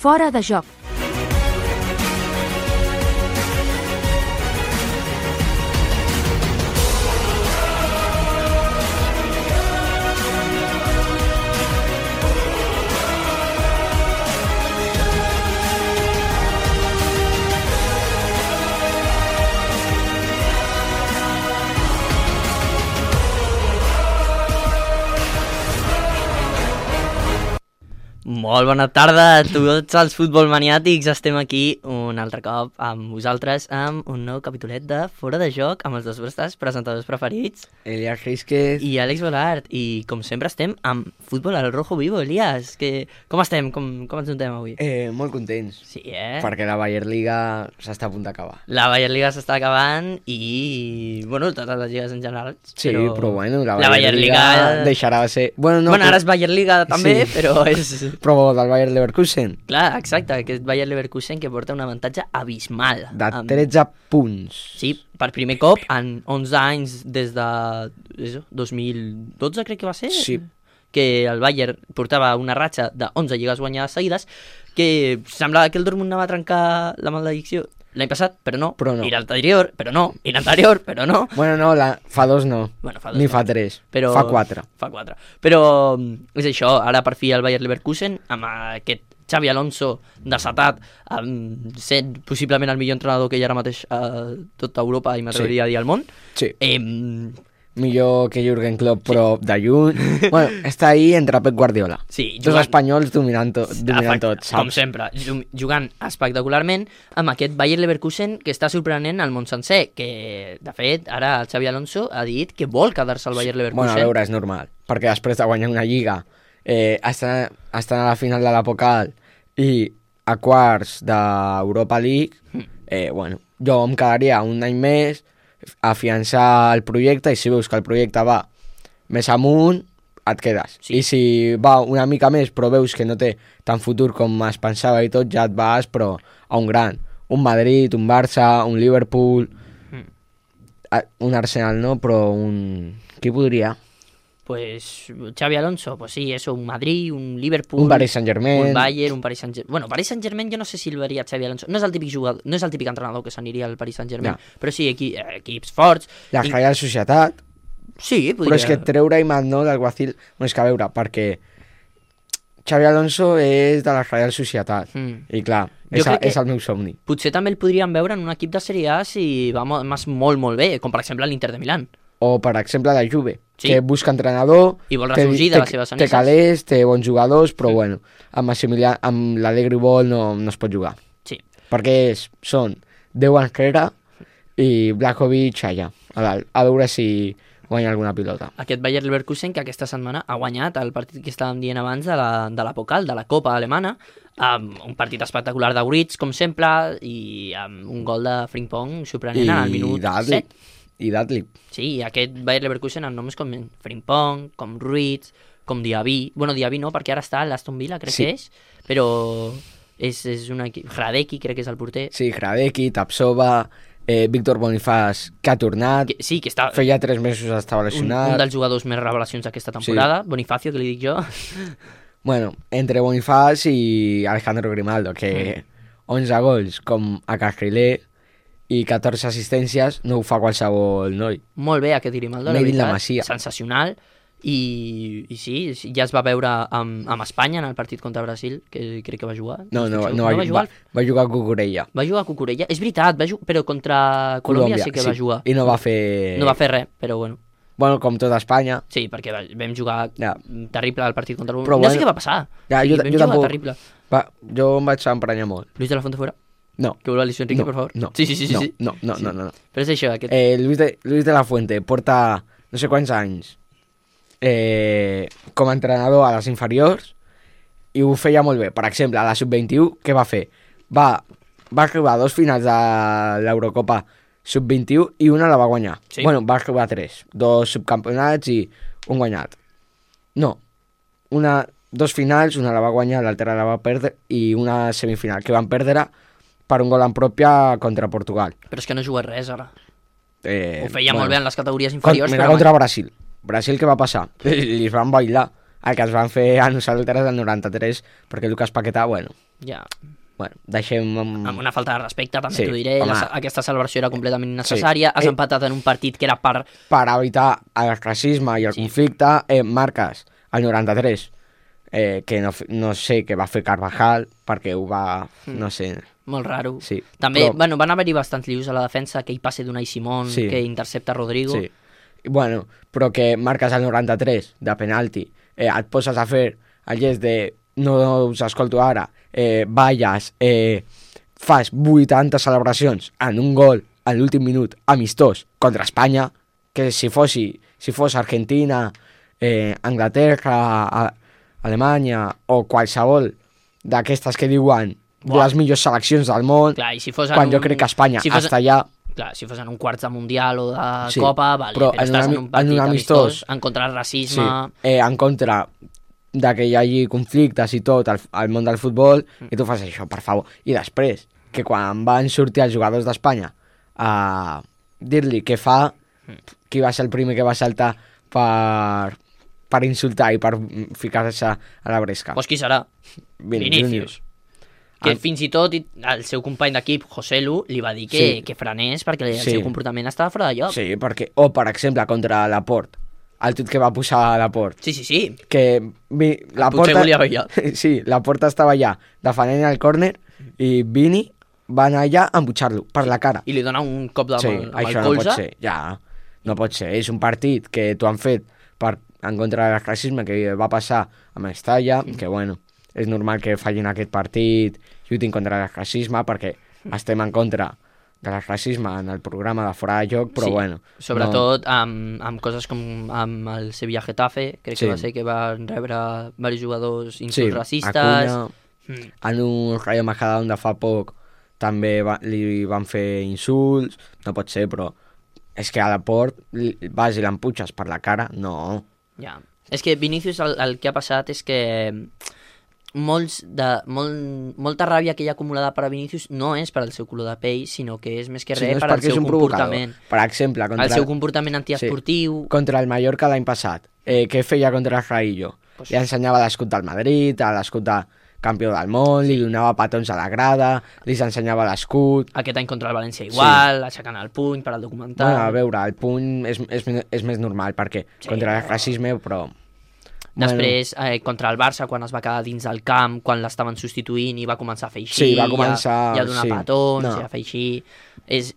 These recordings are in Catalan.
Fora de joc. Molt bona tarda a tots els futbolmaniàtics. Estem aquí un altre cop amb vosaltres amb un nou capitolet de Fora de Joc amb els dos vostres presentadors preferits, Elias Rísquez i Àlex Volart. I com sempre estem amb futbol al rojo vivo. Elias, com estem? Com ens notem avui? molt contents, Sí, perquè la Bayern Liga s'està a punt d'acabar. La Bayern Liga s'està acabant i, bueno, totes les lligues en general. Sí, però bueno, la Bayern Liga deixarà de ser... Bueno, no, Bueno, ara és Bayern Liga també, Sí. però és... Però del Bayern Leverkusen, Clar, exacte, aquest Bayer Leverkusen que porta un avantatge abismal. de 13 punts. Sí, per primer cop en 11 anys des de 2012 crec que va ser, Sí. que el Bayern portava una ratxa de 11 lligues guanyades seguides, que semblava que el Dortmund anava a trencar la maledicció l'any passat, però no, Però no. i l'anterior, però no, i l'anterior, però no. Bueno, no, fa 2 no, Bueno, fa dos, ni no. fa 3, Però... fa 4. Fa 4. Però és això, ara per fi el Bayer Leverkusen, amb aquest Xavi Alonso desatat, sent possiblement el millor entrenador que hi ha ara mateix a tota Europa i m'atreviria a dir al món. Sí, Millor que Jürgen Klopp, però de lluny. Bueno, està ahí entre Pep Guardiola. Sí, Dos espanyols dominant tot, com saps? sempre, jugant espectacularment amb aquest Bayer Leverkusen que està sorprenent al món sencer, que de fet ara el Xavi Alonso ha dit que vol quedar-se al Bayer Leverkusen. Bueno, a veure, és normal, perquè després de guanyar una lliga, estan a la final de la Pokal i a quarts d'Europa League, bueno, jo em quedaria un any més a afiançar el projecte, i si veus que el projecte va més amunt, et quedes. Sí. I si va una mica més però veus que no té tant futur com es pensava i tot, ja et vas però a un gran. Un Madrid, un Barça, un Liverpool, un Arsenal no, però un... Qui podria? Pues Xavi Alonso, pues sí, eso, un Madrid, un Liverpool, Un Paris Saint-Germain. un Bayern, un Paris Saint-Germain. Bueno, Paris Saint-Germain jo no sé si el veria Xavi Alonso. No és el típic jugador, no és el típic entrenador que s'aniria al Paris Saint-Germain, però sí, equips forts. La Real Societat. Sí, podria... Però és que treure Iman, no, d'Alguacil... Bueno, és que a veure, perquè Xavi Alonso és de la Real Societat. I clar, és el meu somni. Potser també el podríem veure en un equip de Serie A si va molt bé, com per exemple l'Inter de Milán. O, per exemple, la Juve, Sí. que busca entrenador... I vol ressorgir de les seves Té anesses. calés, té bons jugadors, però bueno, amb l'Allegri Ball no es pot jugar. Sí. Perquè són 10 enrere i Blakovic allà, a dalt, a veure si guanya alguna pilota. Aquest Bayer Leverkusen que aquesta setmana ha guanyat el partit que estàvem dient abans de la Pokal, de la Copa alemana, amb un partit espectacular d'Auritz, com sempre, i amb un gol de Frimpong sorprenent en el minut 7. I Datlip. Sí, aquest Bayer Leverkusen amb noms com Frimpong, com Ruiz, com Diaby. Bueno, Diaby no, perquè ara està a l'Aston Villa, crec que és, però és un equip... Hradecki, crec que és el porter. Sí, Hradecki, Tapsova, Víctor Bonifaz, que ha tornat. Sí, que està... Feia 3 mesos estava lesionat. Un dels jugadors més revelacions d'aquesta temporada, sí. Bonifacio, que li dic jo. Bueno, entre Bonifaz i Alejandro Grimaldo, que 11 gols com a Carrilé i 14 assistències no ho fa qualsevol noi. Molt bé aquest Grimaldo, la Made in la veritat, Masia. sensacional. I sí, ja es va veure amb Espanya en el partit contra Brasil, que crec que va jugar. No va jugar. Va jugar a Cucurella. Va jugar a Cucurella. És veritat, però contra Colòmbia sí que va jugar. I no va fer... No va fer res, però bueno. Bueno, com tota Espanya. Sí, perquè vam jugar terrible al partit contra Però no sé què va passar. Ja, sí, jo tampoc. Terrible. Jo em vaig emprenyar molt. Luis de la Fuente fuera? No. Que vuelva Luis Enrique, por favor. No. Sí. No. Però és això, aquest... Luis de la Fuente porta no sé quants anys com a entrenador a les inferiors i ho feia molt bé. Per exemple, a la Sub-21, què va fer? Va arribar a 2 finals de l'Eurocopa Sub-21 i una la va guanyar. Sí. Bueno, va arribar a 3. 2 subcampionats i un guanyat. No. 2 finals, una la va guanyar, l'altra la va perdre i una semifinal que van perdre per un gol en pròpia contra Portugal. Però és que no juga res ara. Ho feia molt bé en les categories inferiors. Mira, contra Brasil. Brasil, què va passar? Li van bailar. El que ens van fer a nosaltres del 93, perquè Lucas Paquetá, bueno, Ja. Bueno, deixem... Amb una falta de respecte, també Sí, t'ho diré. home. Aquesta celebració era completament innecessària. Sí. Has empatat en un partit que era per... Per evitar el racisme i el conflicte, marques el 93, que no sé què va fer Carvajal, perquè ho va... no sé... Molt raro. Sí, També, però- van haver-hi bastants lius a la defensa, aquell passe d'Unai Simón, Sí. que intercepta Rodrigo. Sí. Bueno, però que marques el 93 de penalti, et poses a fer el gest de no us escolto ara, balles, fas 80 celebracions en un gol a l'últim minut amistós contra Espanya, que si fos Argentina, Anglaterra, Alemanya o qualsevol d'aquestes que diuen les millors seleccions del món, Clar, i si fos quan jo crec que Espanya està allà. Clar, si fos en un quarts de Mundial o de Sí, Copa, vale, però però en estàs un en un partit amistós, en contra del racisme... en contra de que hi hagi conflictes i tot al món del futbol, i tu fas això, per favor. I després, que quan van sortir els jugadors d'Espanya a dir-li què fa, qui va ser el primer que va saltar per insultar i per ficar-se a la bresca? Pues qui serà? Vinícius. Que fins i tot el seu company d'equip, José Lu, li va dir que frenés perquè el seu comportament estava fora de lloc. Sí, perquè, o per exemple, contra Laporte, el tuit que va posar a Laporte, Sí. que Potser volia ballar. Sí, Laporte estava allà defendent el córner i Vini va anar allà a embutxar-lo per la cara. I li dona un cop amb Sí, el això no colze. pot ser, ja, no pot ser. És un partit que t'ho han fet en contra del racisme que va passar a Mestalla, que bueno, és normal que fallin aquest partit, lluitin contra el racisme, perquè estem en contra del racisme en el programa de Fora de Joc, però bueno. Sobretot amb coses com amb el Sevilla Getafe, crec que va ser que van rebre diversos jugadors insults racistes. Acuña, en un Rayo Majadahonda fa poc també li van fer insults, no pot ser, però és que a Laporte vas i l'emputxes per la cara, no. Ja. És que Vinícius el que ha passat és que molta ràbia que hi ha acumulada per a Vinícius no és per al seu color de pell, sinó que és més que res per al seu comportament. Per exemple, el seu comportament antiesportiu. Contra el Mallorca l'any passat, què feia contra el Raillo? Li ensenyava l'escut del Madrid, l'escut de campió del món, li donava petons a la grada, li ensenyava l'escut. Aquest any contra el València igual, aixecant el puny per al documental. Bueno, a veure, el puny és més normal, perquè contra el racisme, però... Després, contra el Barça, quan es va quedar dins del camp, quan l'estaven substituint i va començar a fer així, sí, va començar, i a donar petons, i a fer així...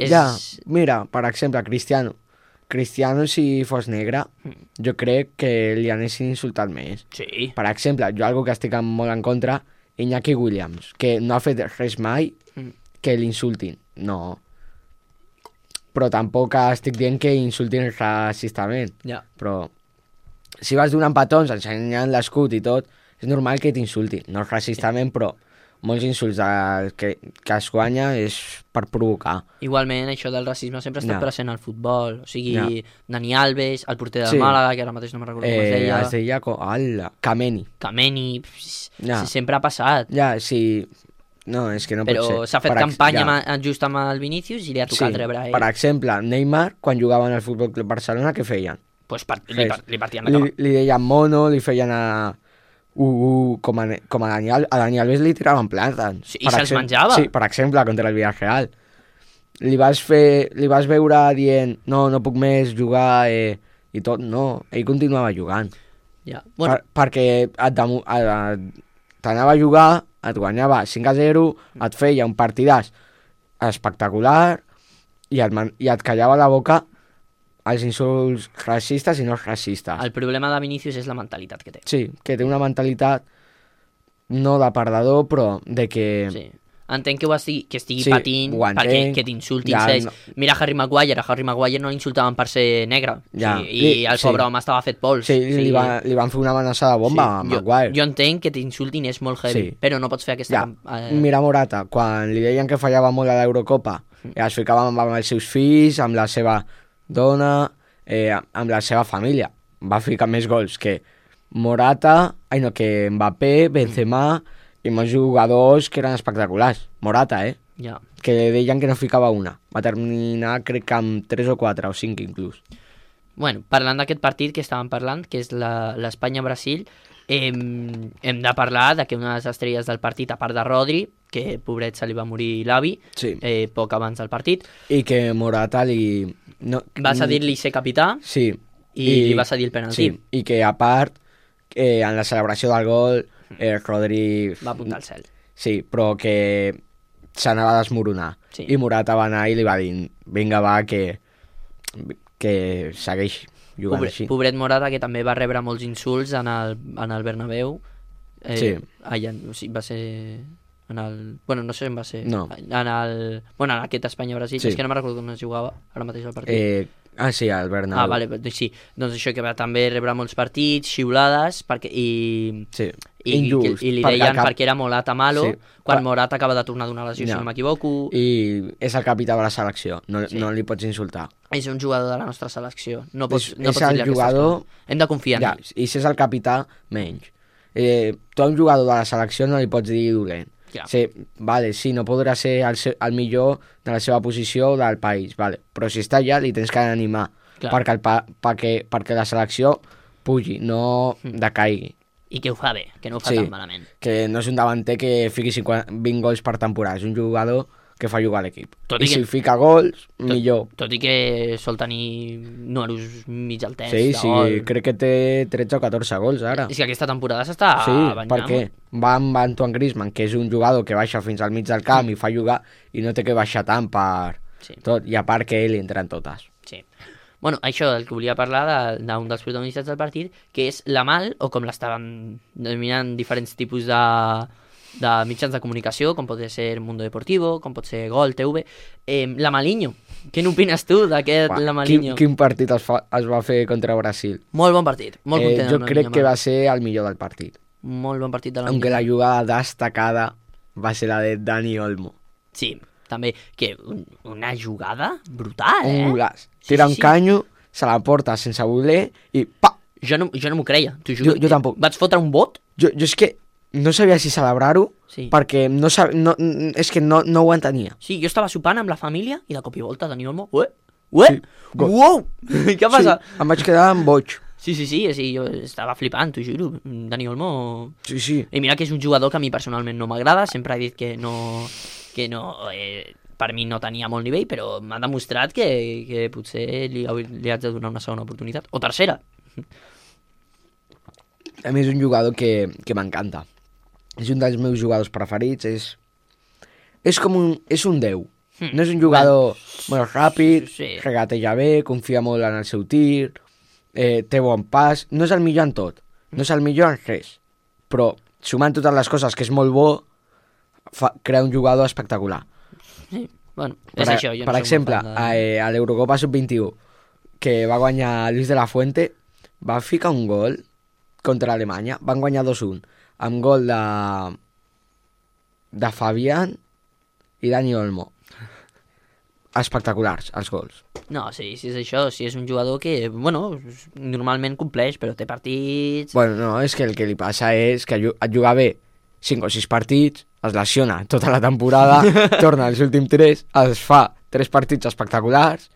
Ja, mira, per exemple, Cristiano, si fos negre, jo crec que li anessin insultat més. Sí. Per exemple, jo algo que estic molt en contra, Iñaki Williams, que no ha fet res mai que l'insultin. No. Però tampoc estic dient que insultin racistament. Ja. Però si vas donant petons, ensenyant l'escut i tot, és normal que t'insultin. No racistament, però molts insults que es guanya és per provocar. Igualment, això del racisme sempre ha estat present al futbol. O sigui, Dani Alves, el porter del Màlaga, que ara mateix no me'n recordo com es deia. Es deia Kameni. Sempre ha passat. Ja, sí. No, és que no pot ser. Però s'ha fet campanya just amb el Vinícius i li ha tocat rebre a ell. Per exemple, Neymar, quan jugava en el Futbol Club Barcelona, què feien? Pues li partien la cama. Li deien mono, li feien com a Dani Alves li tiraven plàtans. Sí, i se'ls menjava. Sí, per exemple, contra el Villarreal. Li vas veure dient no puc més jugar i tot, no, ell continuava jugant. Ja. Bueno. Perquè t'anava a jugar, et guanyava 5-0, et feia un partidàs espectacular i et callava la boca els insults racistes i no racistes. El problema de Vinícius és la mentalitat que té. Sí, que té una mentalitat no de perdedor, però de que... Sí. Entenc que estigui patint perquè que t'insultin. No. Mira Harry Maguire no l'insultaven per ser negre. I el pobre home estava fet pols. Sí, li van fer una amenaça de bomba a Maguire. Jo entenc que t'insultin és molt heavy, però no pots fer aquesta... Mira Morata, quan li deien que fallava molt a l'Eurocopa, es ficava amb els seus fills, amb la seva dona, amb la seva família. Va ficar més gols que que Mbappé, Benzema i molts jugadors que eren espectaculars. Morata, Ja. Que deien que no ficava una. Va terminar, crec que amb 3 o 4 o 5 inclús. Bueno, parlant d'aquest partit que estàvem parlant, que és l'Espanya-Brasil, hem de parlar de que una de les estrelles del partit, a part de Rodri, que pobret se li va morir l'avi, Sí. poc abans del partit, I que Morata li... No, va cedir-li ser capità Sí. i li va cedir el penalti. Sí, i que a part, en la celebració del gol, Rodri... Va apuntar al cel. Sí, però que s'anava a desmoronar. Sí. I Morata va anar i li va dir, vinga, va, que segueix jugant així. Pobret Morata, que també va rebre molts insults en el Bernabéu. Sí. Allà, o sigui, va ser... Bueno, no sé on va ser. No. En aquest Espanya-Brasil. Sí. És que no me'n recordo on es jugava ara mateix el partit. Sí, al Bernabéu. Vale, sí. Doncs això, que va també rebre molts partits, xiulades, Sí. i li deien perquè era Morata malo, Sí. quan Morata acaba de tornar d'una lesió, si no m'equivoco. I és el capità de la selecció, Sí. no li pots insultar. És un jugador de la nostra selecció. No pots És dir-li el aquestes jugador... coses. Hem de confiar en ell. I si és el capità, menys. Tu a un jugador de la selecció no li pots dir dolent. Clar. Sí, vale, sí, no podrà ser el millor de la seva posició o del país, vale. Però si està allà li tens que animar perquè la selecció pugi, no decaigui. I que ho fa bé, que no ho fa Sí. tan malament. Que no és un davanter que fiqui 20 gols per temporada, és un jugador que fa jugar a l'equip. Tot I i que- si fica gols, millor. Tot i que sol tenir números mig altets Sí, de sí, gol. crec que té 13 o 14 gols ara. És que aquesta temporada s'està Sí, banyant. perquè va amb Antoine Griezmann, que és un jugador que baixa fins al mig del camp i fa jugar, i no té que baixar tant per Sí. tot, i a part que ell entra en totes. Sí. Bueno, això, el que volia parlar d'un dels protagonistes del partit, que és la Mal, o com l'estaven denominant diferents tipus de mitjans de comunicació, com pot ser Mundo Deportivo, com pot ser Gol, TV, la Maliño. Què n'opines tu d'aquest la Maliño? Quin partit es va fer contra Brasil? Molt bon partit, molt content. Jo amb la crec Lamine que Yamal. va ser el millor del partit. Molt bon partit de la Aunque la Maliño. jugada destacada va ser la de Dani Olmo. Sí, també, que una jugada brutal, Un golaç. Sí, Tira sí, un sí. canyo, se la porta sense voler i pa! Jo no m'ho creia, t'ho juro. Jo tampoc. Vaig fotre un bot. Jo és que no sabia si celebrar-ho Sí. perquè és que no ho entenia. Sí, jo estava sopant amb la família i de cop i volta Dani Olmo... Sí, gol. Uau! Què passa? Sí, em vaig quedar amb boig. Sí, jo estava flipant, t'ho juro. Dani Olmo... Sí, sí. I mira que és un jugador que a mi personalment no m'agrada, sempre he dit que per mi no tenia molt nivell, però m'ha demostrat que potser li haig de donar una segona oportunitat. O tercera. A mi és un jugador que m'encanta. És un dels meus jugadors preferits. És un 10. No és un jugador molt ràpid, Sí. regateja bé, confia molt en el seu tir, té bon pas. No és el millor en tot, no és el millor en res, però sumant totes les coses que és molt bo, crea un jugador espectacular. Sí, bueno, és això. Jo no Per soc exemple, molt fan a l'Eurocopa Sub-21, que va guanyar Luis de la Fuente, va ficar un gol contra Alemanya, van guanyar 2-1, amb gol de Fabián i Dani Olmo. Espectaculars, els gols. No, sí, és això, sí, és un jugador que, bueno, normalment compleix, però té partits... Bueno, no, és que el que li passa és que et juga bé 5 o 6 partits, es lesiona tota la temporada, torna als últims 3, es fa 3 partits espectaculars,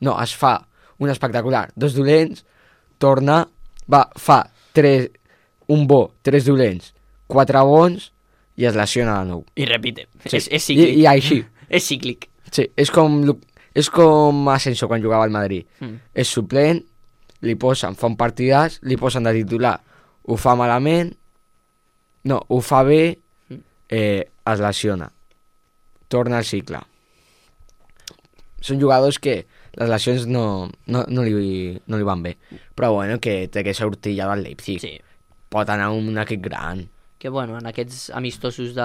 no, es fa un espectacular, 2 dolents, torna, fa 1 bo, 3 dolents, 4 bons, i es lesiona de nou. I repite, Sí. és cíclic. I així. És cíclic. Sí, és com Asensio quan jugava al Madrid. És suplent, fa un partidàs, li posen de titular, ho fa malament, no, ho fa bé, es lesiona, torna al cicle. Són jugadors que les lesions no li van bé, però bueno, que té que sortir ja del Leipzig. Sí. Pot anar a un equip gran. Que bueno, en aquests amistosos de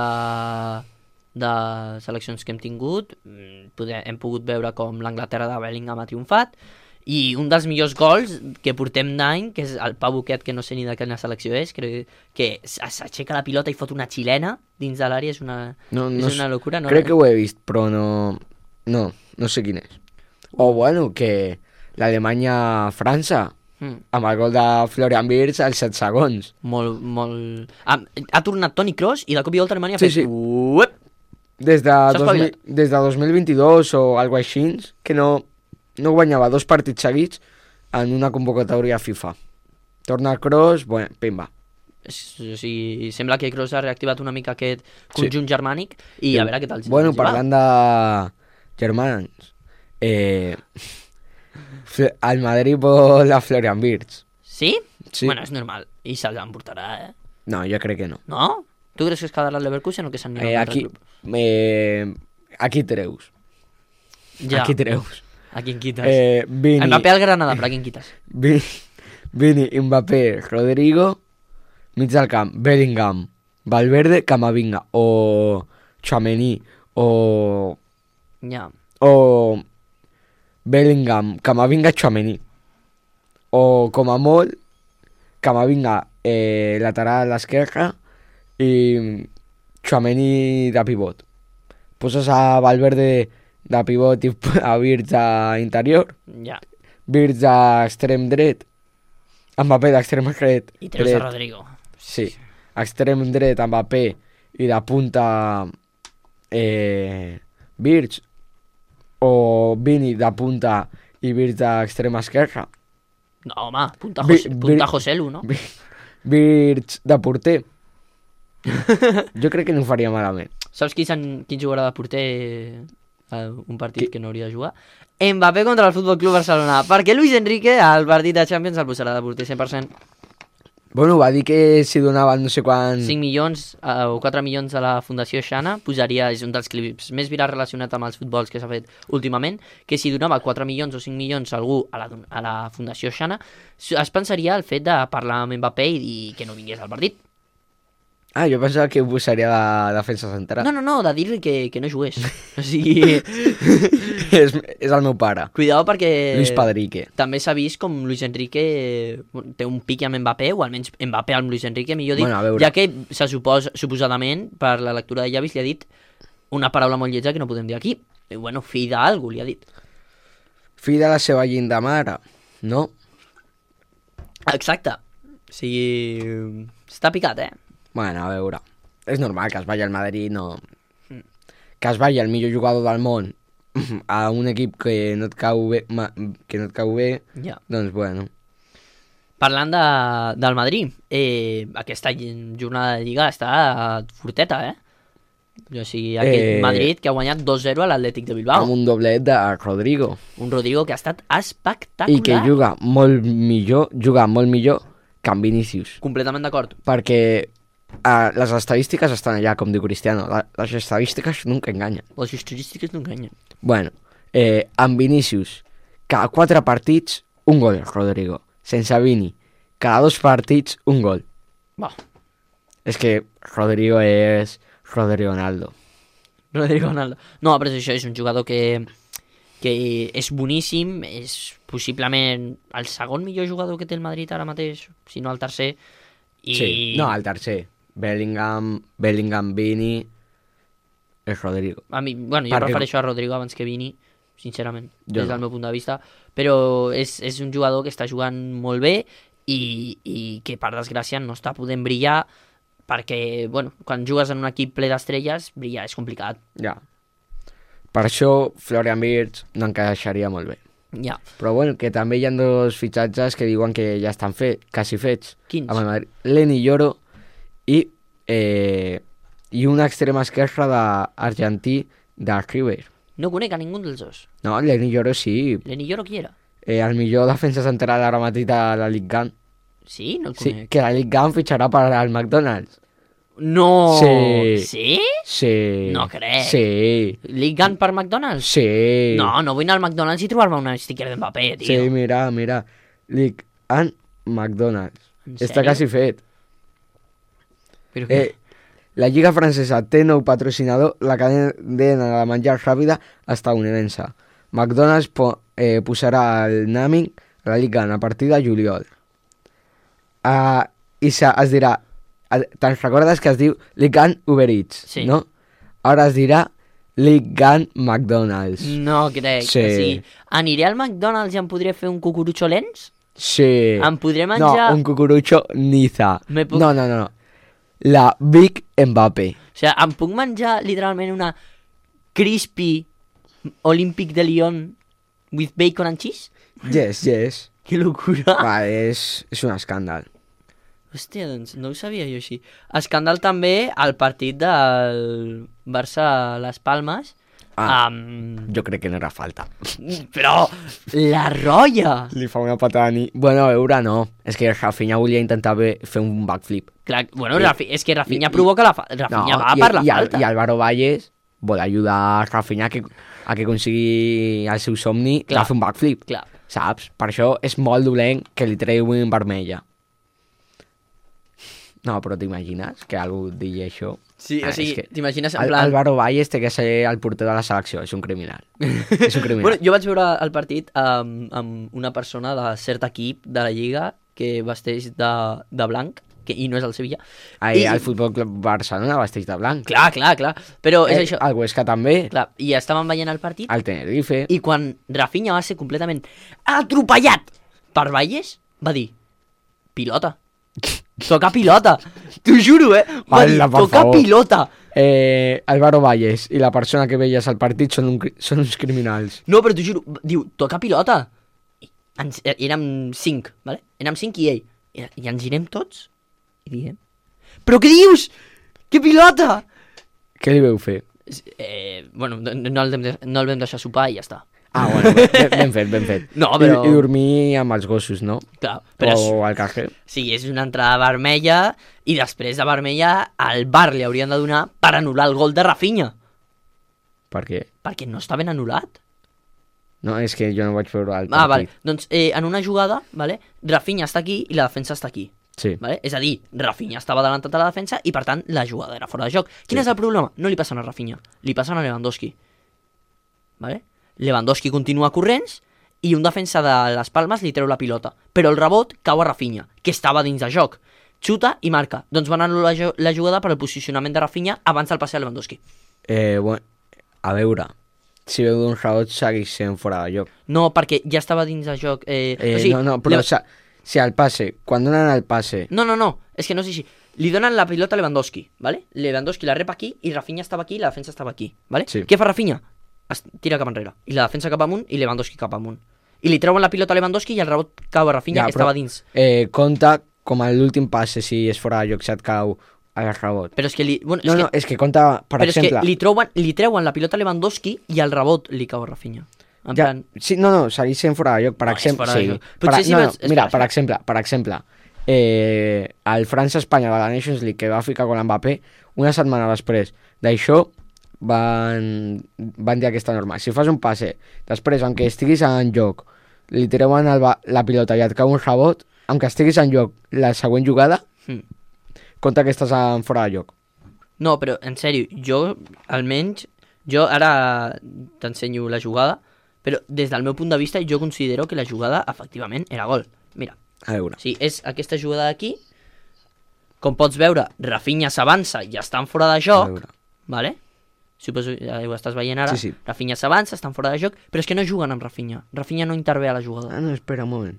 seleccions que hem tingut, hem pogut veure com l'Anglaterra de Bellingham ha triomfat, i un dels millors gols que portem d'any, que és el Pau Buquet, que no sé ni de quina selecció és, que s'aixeca la pilota i fot una xilena dins de l'àrea, és una locura. No? Crec que ho he vist, però no sé quin és. O bueno, que l'Alemanya-França, amb el gol de Florian Wirtz als 7 segons. Molt... Ha tornat Toni Kroos i de cop i volta Alemanya ha fet... Sí. Uep! Des de 2022 o algo així, que no guanyava 2 partits seguits en una convocatòria FIFA. Torna el Kroos, bueno, pimba. O sigui, sembla que Kroos ha reactivat una mica aquest conjunt germànic i a veure què tal. Bueno, parlant de germans, el Madrid vol a Florian Wirtz. Sí? Sí. Bueno, és normal. I se'l emportarà, No, jo crec que no. No? Tu creus que es quedarà al Leverkusen o que s'anirà a un altre club? Aquí treus. Ja. Aquí treus. A quin quites? Vini, Mbappé al Granada, però a quin quites? Vini, Mbappé, Rodrigo, mig del camp, Bellingham, Valverde, Camavinga, o Tchouaméni, o Ja. Bellingham, Camavinga, Tchouaméni. O com a molt, Camavinga lateral a l'esquerra i Tchouaméni de pivot. Poses a Valverde de pivot i a Wirtz a interior, Ja. Wirtz a extrem dret, Mbappé d'extrem dret. I treus a Rodrigo. Sí, extrem dret Mbappé i de punta Wirtz, o Vini de punta i Wirtz d'extrem esquerra. No, home, punta Vi- Joselu, no? Wirtz de porter. Jo crec que no ho faria malament. Saps qui jugarà de porter a un partit que no hauria de jugar? Mbappé contra el Futbol Club Barcelona, perquè Luis Enrique al partit de Champions el posarà de porter 100%. Bueno, va dir que si donaven no sé quant... 5 milions o 4 milions a la Fundació Xana posaria, és un dels clips més virals relacionat amb els futbols que s'ha fet últimament, que si donava 4 milions o 5 milions a algú a la Fundació Xana, es pensaria el fet de parlar amb Mbappé i dir que no vingués al partit. Ah, jo pensava que ho posaria de defensa central. No, de dir-li que no jugués. O sigui, és el meu pare, cuidao perquè Luis Padrique. també s'ha vist com Luis Enrique té un pic amb Mbappé, o almenys Mbappé amb Luis Enrique, millor dit, Bueno, a veure. ja que suposadament, per la lectura de llavis, li ha dit una paraula molt lletja que no podem dir aquí. I, bueno, fill d'algú, li ha dit. Fill de la seva llinda mare, no? Exacte. O sigui, està picat, Bueno, a veure, és normal que es vagi al Madrid, no... Que es vagi el millor jugador del món a un equip que no et cau bé, Ja. doncs bueno. Parlant del Madrid, aquesta jornada de Lliga està forteta, O sigui, aquell Madrid que ha guanyat 2-0 a l'Atlètic de Bilbao. Amb un doblet de Rodrigo. Un Rodrigo que ha estat espectacular. I que juga molt millor que en Vinícius. Completament d'acord. Perquè les estadístiques estan allà, com diu Cristiano. Les estadístiques nunca enganyen. Les estadístiques no enganyen. Bueno, amb Vinícius, cada 4 partits, un gol, Rodrigo. Sense Vini, cada 2 partits, un gol. Va. És que Rodrigo és Rodrigo Ronaldo. Rodrigo Ronaldo. No, però això és un jugador que és boníssim, és possiblement el segon millor jugador que té el Madrid ara mateix, si no el tercer. I... Sí, no, el tercer. Bellingham, Vini, és Rodrigo. A mi, bueno, jo Perquè... prefereixo a Rodrigo abans que Vini, sincerament, Jo des del no. meu punt de vista, però és un jugador que està jugant molt bé i que, per desgràcia, no està podent brillar perquè, bueno, quan jugues en un equip ple d'estrelles, brillar és complicat. Ja. Per això Florian Wirtz no encaixaria molt bé. Ja. Però bueno, que també hi ha 2 fitxatges que diuen que ja estan quasi fets. Quins? Amb el Madrid. Lenny Yoro i un extrem esquerre d'argentí de River. No conec a ningú dels dos. No, Lenny Yoro sí. Lenny Yoro qui era? El millor defensa central ara mateix de la Ligue 1. Sí? No el Sí, conec. que la Ligue 1 fitxarà per al McDonald's. No! Sí. Sí? Sí. No crec. Sí. League Gun per McDonald's? Sí. No vull anar al McDonald's i trobar-me un sticker d'Mbappé, tio. Sí, mira. Ligue 1 McDonald's. En Està sèrio? quasi fet. Però què? La Lliga Francesa té nou patrocinador, la cadena de menjar ràpida estadounidense. McDonald's posarà el naming a la Liga a partir de juliol. I es dirà, te'n recordes que es diu Liga Uber Eats, Sí. no? Ara es dirà Liga McDonald's. No crec. Sí. O sigui, aniré al McDonald's i em podré fer un cucurutxo lents? Sí. Em podré menjar... No, un cucurucho Niza. Me puc- No. La Big Mbappé. O sigui, em puc menjar literalment una crispy Olympic de Lyon with bacon and cheese? Yes. Que locura. Va, és un escàndal. Hòstia, doncs no ho sabia jo així. Escàndal també al partit del Barça-Las Palmes. Jo crec que no era falta. Però la rolla! Li fa una patada ni... Bueno, a veure, no. És que Rafinha volia intentar fer un backflip. Clar, bueno, és que Rafinha provoca la falta. Rafinha va per la falta. I Álvaro Valles vol ajudar a Rafinha a que consigui el seu somni de fer un backflip. Clar. Saps? Per això és molt dolent que li treuin vermella. No, però t'imagines que algú digui això? Sí, o sigui, t'imagines en plan... Álvaro Valles té que ser el porter de la selecció, és un criminal. És un criminal. Bueno, jo vaig veure el partit amb una persona de cert equip de la Lliga que vesteix de blanc, i no és el Sevilla. El Futbol Club Barcelona vesteix de blanc. Clar, però és això. El Huesca també. Clar, i estàvem veient el partit. El Tenerife. I quan Rafinha va ser completament atropellat per Valles, va dir, pilota. Toca pilota, t'ho juro, va dir, toca pilota. Álvaro Valles i la persona que veies al partit són uns criminals. No, però t'ho juro, diu, toca pilota. Érem 5, ¿vale? Érem 5 i ell. I ens girem tots i diem, però què dius? Que pilota? Què li veu fer? Bueno, no el vam deixar sopar i ja està. Bueno, ben fet. No, però... I dormir amb els gossos, no? Clar, però... O al carrer. Sí, és una entrada vermella i després de vermella al VAR li haurien de donar per anul·lar el gol de Rafinha. Per què? Perquè no està ben anul·lat. No, és que jo no vaig veure el partit. Vale. Doncs en una jugada, vale, Rafinha està aquí i la defensa està aquí. Sí. Vale? És a dir, Rafinha estava adelantat a la defensa i per tant la jugada era fora de joc. Quin és el problema? No li passen a Rafinha, li passen a Lewandowski. Vale? Lewandowski continua corrents i un defensa de les Palmes li treu la pilota, però el rebot cau a Rafinha, que estava dins de joc. Xuta i marca. Doncs van anul·lar la jugada per el posicionament de Rafinha abans del passe a Lewandowski. Bueno, a veure, si veu d'un rebot segueix sent fora de joc. No, perquè ja estava dins de joc. O sigui, no, però si el passe, quan donen el passe... No, és que no és així. Li donen la pilota a Lewandowski, ¿vale? Lewandowski la rep aquí i Rafinha estava aquí i la defensa estava aquí, ¿vale? Sí. Què fa Rafinha? Es tira cap enrere. I la defensa cap amunt i Lewandowski cap amunt. I li treuen la pilota a Lewandowski i el rebot cau a Rafinha, que estava dins. Compta com a l'últim passe, si és fora de joc, si et cau el rebot. Però és que bueno, és que compta, per exemple... Però és que li treuen la pilota a Lewandowski i el rebot li cau a Rafinha. En plan... Sí, segueix sent fora de joc, per exemple. Per exemple, el França-Espanya de la Nations League que va ficar con l'Mbappé, una setmana després d'això van dir aquesta norma. Si fas un passe, després, aunque estiguis en joc, li treuen la pilota i et cau un rebot, aunque estiguis en joc la següent jugada, compta que estàs fora de joc. No, però, en sèrio, jo ara t'ensenyo la jugada, però des del meu punt de vista jo considero que la jugada efectivament era gol. Mira, a veure. Sí, és aquesta jugada d'aquí. Com pots veure, Rafinha s'avança i estan fora de joc, vale? Suposo que ho estàs veient ara. Sí. Rafinha s'avança, estan fora de joc, però és que no juguen amb Rafinha. Rafinha no intervé a la jugada. No, espera un moment.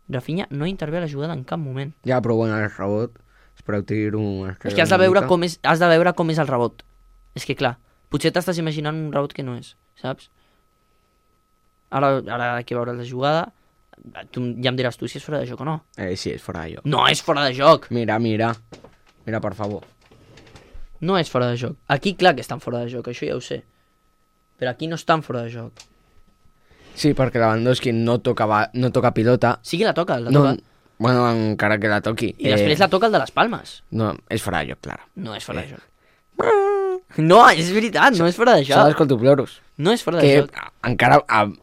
Rafinha no intervé a la jugada en cap moment. Ja, però bueno, el rebot, espereu tiro... És que has de veure com és el rebot. És que clar, potser t'estàs imaginant un rebot que no és, saps? Ara que veuràs la jugada, tu ja em diràs tu si és fora de joc o no. Sí, és fora de joc. No és fora de joc! Mira, per favor. No és fora de joc. Aquí clar que estan fora de joc, això ja ho sé. Però aquí no estan fora de joc. Sí, perquè Lewandowski no toca pilota. Sí que la toca. Bueno, encara que la toqui. I després la toca el de les Palmes. No, és fora de joc, clar. No és fora de joc. No, és veritat, no és fora de joc. S'ha d'escoltar ploros. No és fora de joc. Que encara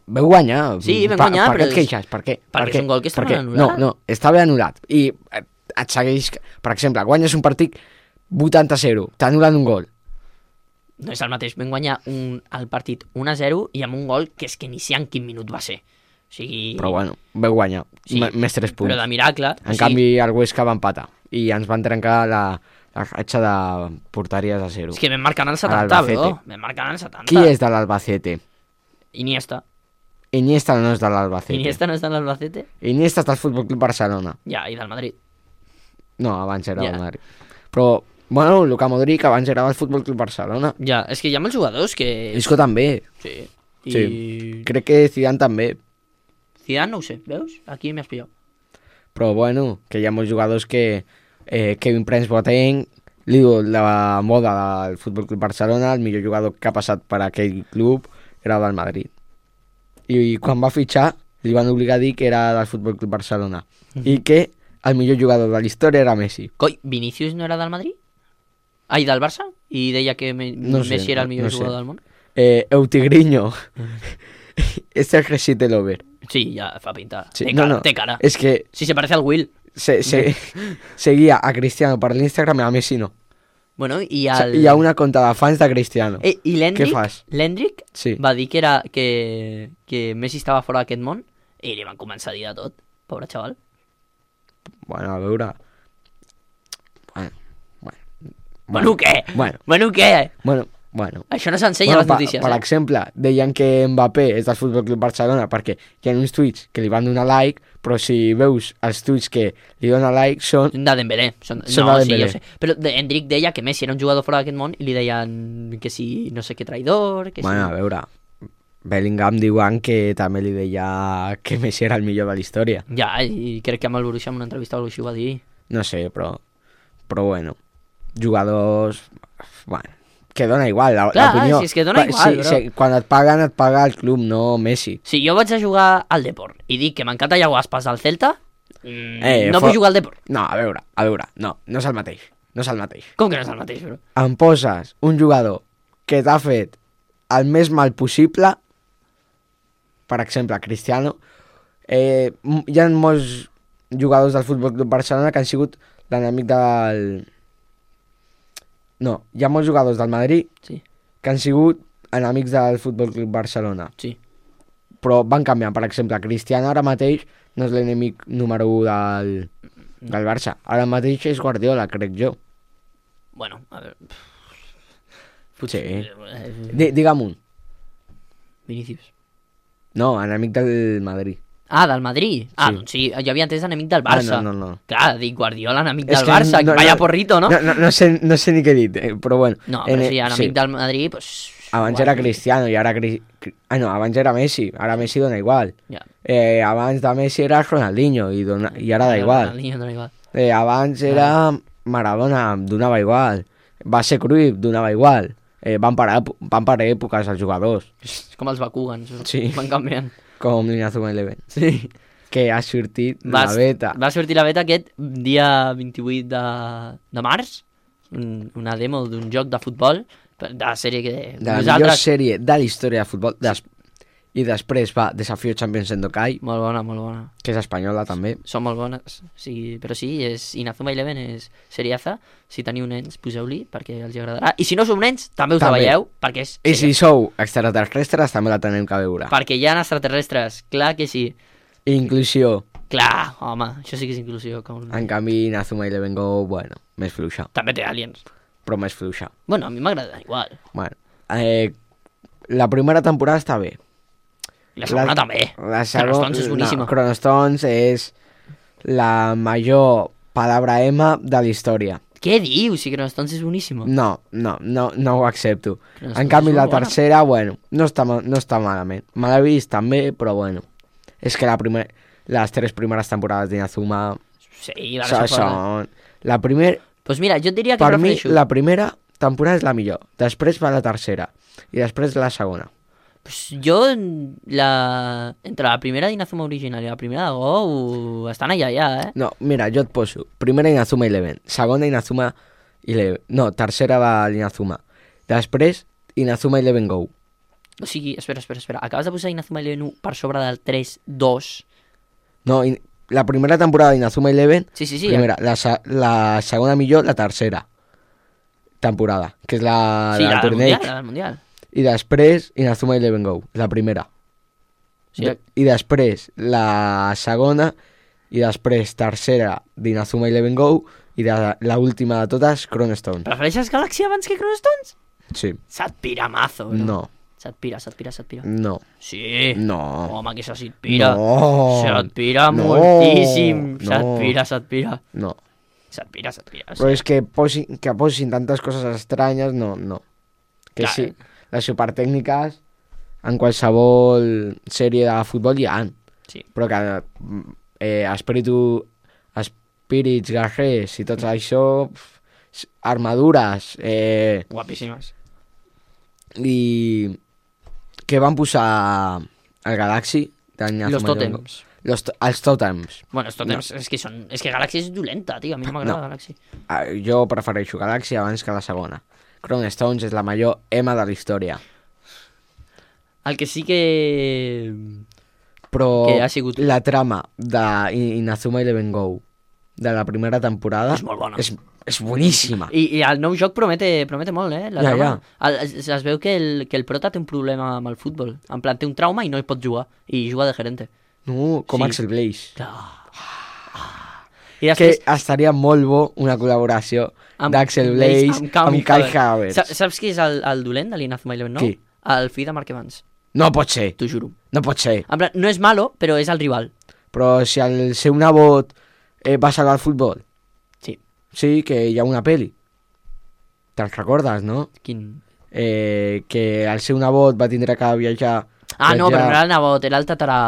veu guanyar. Sí, vam guanyar, però... Per què et queixes? Per què? Perquè és un gol que està ben anul·lat. No, està ben anul·lat. I et segueix... Per exemple, guanyes un partit 80-0, t'anul·len un gol. No és el mateix, vam guanyar el partit 1-0 i amb un gol que és que ni sé en quin minut va ser. O sigui... Però bueno, vau guanyar, sí, més 3 punts. Però de miracle. En canvi, el Huesca va empatar i ens van trencar la ratxa de porteries a 0. És que vam marcar en el 70, bro. Vam marcar en el 70. Qui és de l'Albacete? Iniesta. Iniesta no és de l'Albacete. Iniesta no és de l'Albacete? Iniesta és del Futbol Club Barcelona. Ja, i del Madrid. No, abans era del Madrid. Però... Bueno, Luka Modric abans era del Futbol Club Barcelona. Ja, és que hi ha molts jugadors que... Isco també. Sí. Sí. Crec que Zidane també. Zidane no ho sé, veus? Aquí m'has pillat. Però bueno, que hi ha molts jugadors que Kevin Prince Boateng, l'ídol de la moda del Futbol Club Barcelona, el millor jugador que ha passat per aquell club era del Madrid. I quan va fitxar li van obligar a dir que era del Futbol Club Barcelona i que el millor jugador de la història era Messi. Coi, Vinícius no era del Madrid? Ai, del Barça? I deia que Messi era el millor jugador del món? Eutigriño. Este es Resite Lover. Sí, ya fa pinta. Sí, Té cara. Es que Sí, se parece al Will. seguía a Cristiano per l'Instagram i a Messi no. Bueno, i O al... sigui, hi ha una conta de fans de Cristiano. I Què fas? l'Hendrick Sí. va dir que Messi estava fora d'aquest món i li van començar a dir de tot. Pobre xaval. Bueno, a veure... Bueno, què? Bueno, Què? bueno. Això no s'ensenya a les notícies, per exemple, deien que Mbappé és del Futbol Club Barcelona perquè hi ha uns tuits que li van donar like, però si veus els tuits que li donen like són... De Dembélé. Són No, de sí, Dembélé. jo sé. Però Hendrick deia que Messi era un jugador fora d'aquest món i li deien que si no sé què traïdor, que Bueno, a veure... Bellingham diuen que també li deia que Messi era el millor de la història. Ja, i crec que amb el Borussia en una entrevista o així ho va dir. No sé, però bueno, jugadors... Bueno, que dona igual l'opinió. Si és que dona igual, bro. Quan et paguen, et paga el club, no Messi. Si jo vaig a jugar al Deport i dic que m'encanta Iago Aspas al Celta, no vull jugar al Deport. No, a veure, no és el mateix. No és el mateix. Com que no és el mateix, bro? Em poses un jugador que t'ha fet el més mal possible, per exemple, Cristiano, hi ha molts jugadors del Futbol Club Barcelona que han sigut l'enemic del... No, hi ha molts jugadors del Madrid Sí, que han sigut enemics del Futbol Club Barcelona, sí. però van canviant. Per exemple, Cristiano ara mateix no és l'enemic número 1 del Barça. Ara mateix és Guardiola, crec jo. Bueno, a veure... Sí. Digue'm un. Vinícius. No, enemic del Madrid. Ah, del Madrid? Ah, Sí. doncs sí, jo havia entès enemic del Barça. No. Clar, dic Guardiola, enemic És del que Barça, no- vaya no- porrito, no? No sé ni què he dit, però bueno. No, però sí, enemic del Madrid, pues... Abans era Cristiano i ara... no, abans era Messi. Ara Messi dona igual. Ja. Abans de Messi era Ronaldinho i ara da igual. Ronaldinho dona igual. Abans era Maradona, donava igual. Va ser Cruyff, donava igual. Van parar èpoques els jugadors, És com els Bakugans, Sí. van canviant. com l'Inazuma Eleven, Sí. que ha sortit la beta. Va sortir la beta aquest dia 28 de març, una demo d'un joc de futbol, de la sèrie que... De la millor sèrie de la història de futbol. I després va Desafío Champions Endokai, Molt bona, molt bona. que és espanyola també. Són molt bones, sí, però sí, és Inazuma Eleven és seriaza. Si teniu nens, poseu-li perquè els agradarà. I si no sou nens, també us la També. veieu, perquè és I si seriaza. sou extraterrestres també la tenim que veure. Perquè hi ha extraterrestres, clar que sí. Inclusió. Clar, home, això sí que és inclusió. Com... En canvi, Inazuma Eleven Go, bueno, més fluixa, També té aliens. però més fluixa. Bueno, a mi m'agrada igual. Bueno, la primera temporada està bé. I la segona també. La Chronostones és boníssima. No, Chronostones és la major palabra M de la història. Què dius? Si Chronostones és boníssima. No ho accepto. Chronostones En canvi, és la molt bona. tercera, bueno, no està malament. Me l'he vist també, però bueno. És que les 3 primeres temporades d'Inazuma Sí, la versió forta. són... La primera... Doncs mira, jo et diria que Per mi, prefereixo... la primera temporada és la millor. Després va la tercera. I després la segona. Pues jo, entre la primera d'Inazuma original i la primera de Go, estan allà, eh? No, mira, jo et poso. Primera Inazuma Eleven. Segona Inazuma Eleven. No, tercera va l'Inazuma. Després, Inazuma Eleven Go. O sigui, espera. Acabes de posar Inazuma Eleven 1 per sobre del 3-2. No, la primera temporada d'Inazuma Eleven... Sí. Primera, la segona millor, la tercera temporada, que és la Sí, del la del torneig. Mundial, la del Mundial. I després Inazuma Eleven Go, la primera. Sí. I després la segona, i després tercera d'Inazuma Eleven Go, i l'última de totes, Chronostones. Prefereixes Galaxy abans que Chronostones? Sí. Se't pira mazo, bro. No. Se't pira. No. Sí. No. Home, que se't pira. No. Se't pira No. moltíssim. No. Se't pira. No. Se't pira. Però és que posin tantes coses estranyes, no. Que Clar. sí, les supertècniques en qualsevol sèrie de futbol hi ha. Sí. Però que espírits guerrers i tot això, armadures, Guapíssimes. i que van posar al Galaxy Los tòtems. Els tòtems. Bueno, els tòtems és que Galaxy és dolenta, tio. A mi no m'agrada Galaxy. Jo prefereixo Galaxy abans que la segona. Crown Stones és la major EMA de la història. El que sí que... Però Que ha sigut- la trama d'Inazuma Eleven Go de la primera temporada És molt bona. és boníssima. I el nou joc promete molt, La Ja, trama. Es veu que el prota té un problema amb el futbol. En plan, té un trauma i no hi pot jugar. I juga de gerente. No, com Sí. Axel Blaze. I Que després... estaria molt bo una col·laboració d'Axel Blaze amb Kai Havertz. Saps qui és el dolent de l'Inazuma Eleven, no? Qui? El fill de Mark Evans. No pot ser, T'ho juro. no pot ser. En plan, no és malo, però és el rival. Però si el seu nebot va salvar el futbol. Sí. Sí, que hi ha una peli. Te'n recordes, no? Quin... Que el seu nebot va tindre que viatjar... No, però no era el nebot, era el tatarà...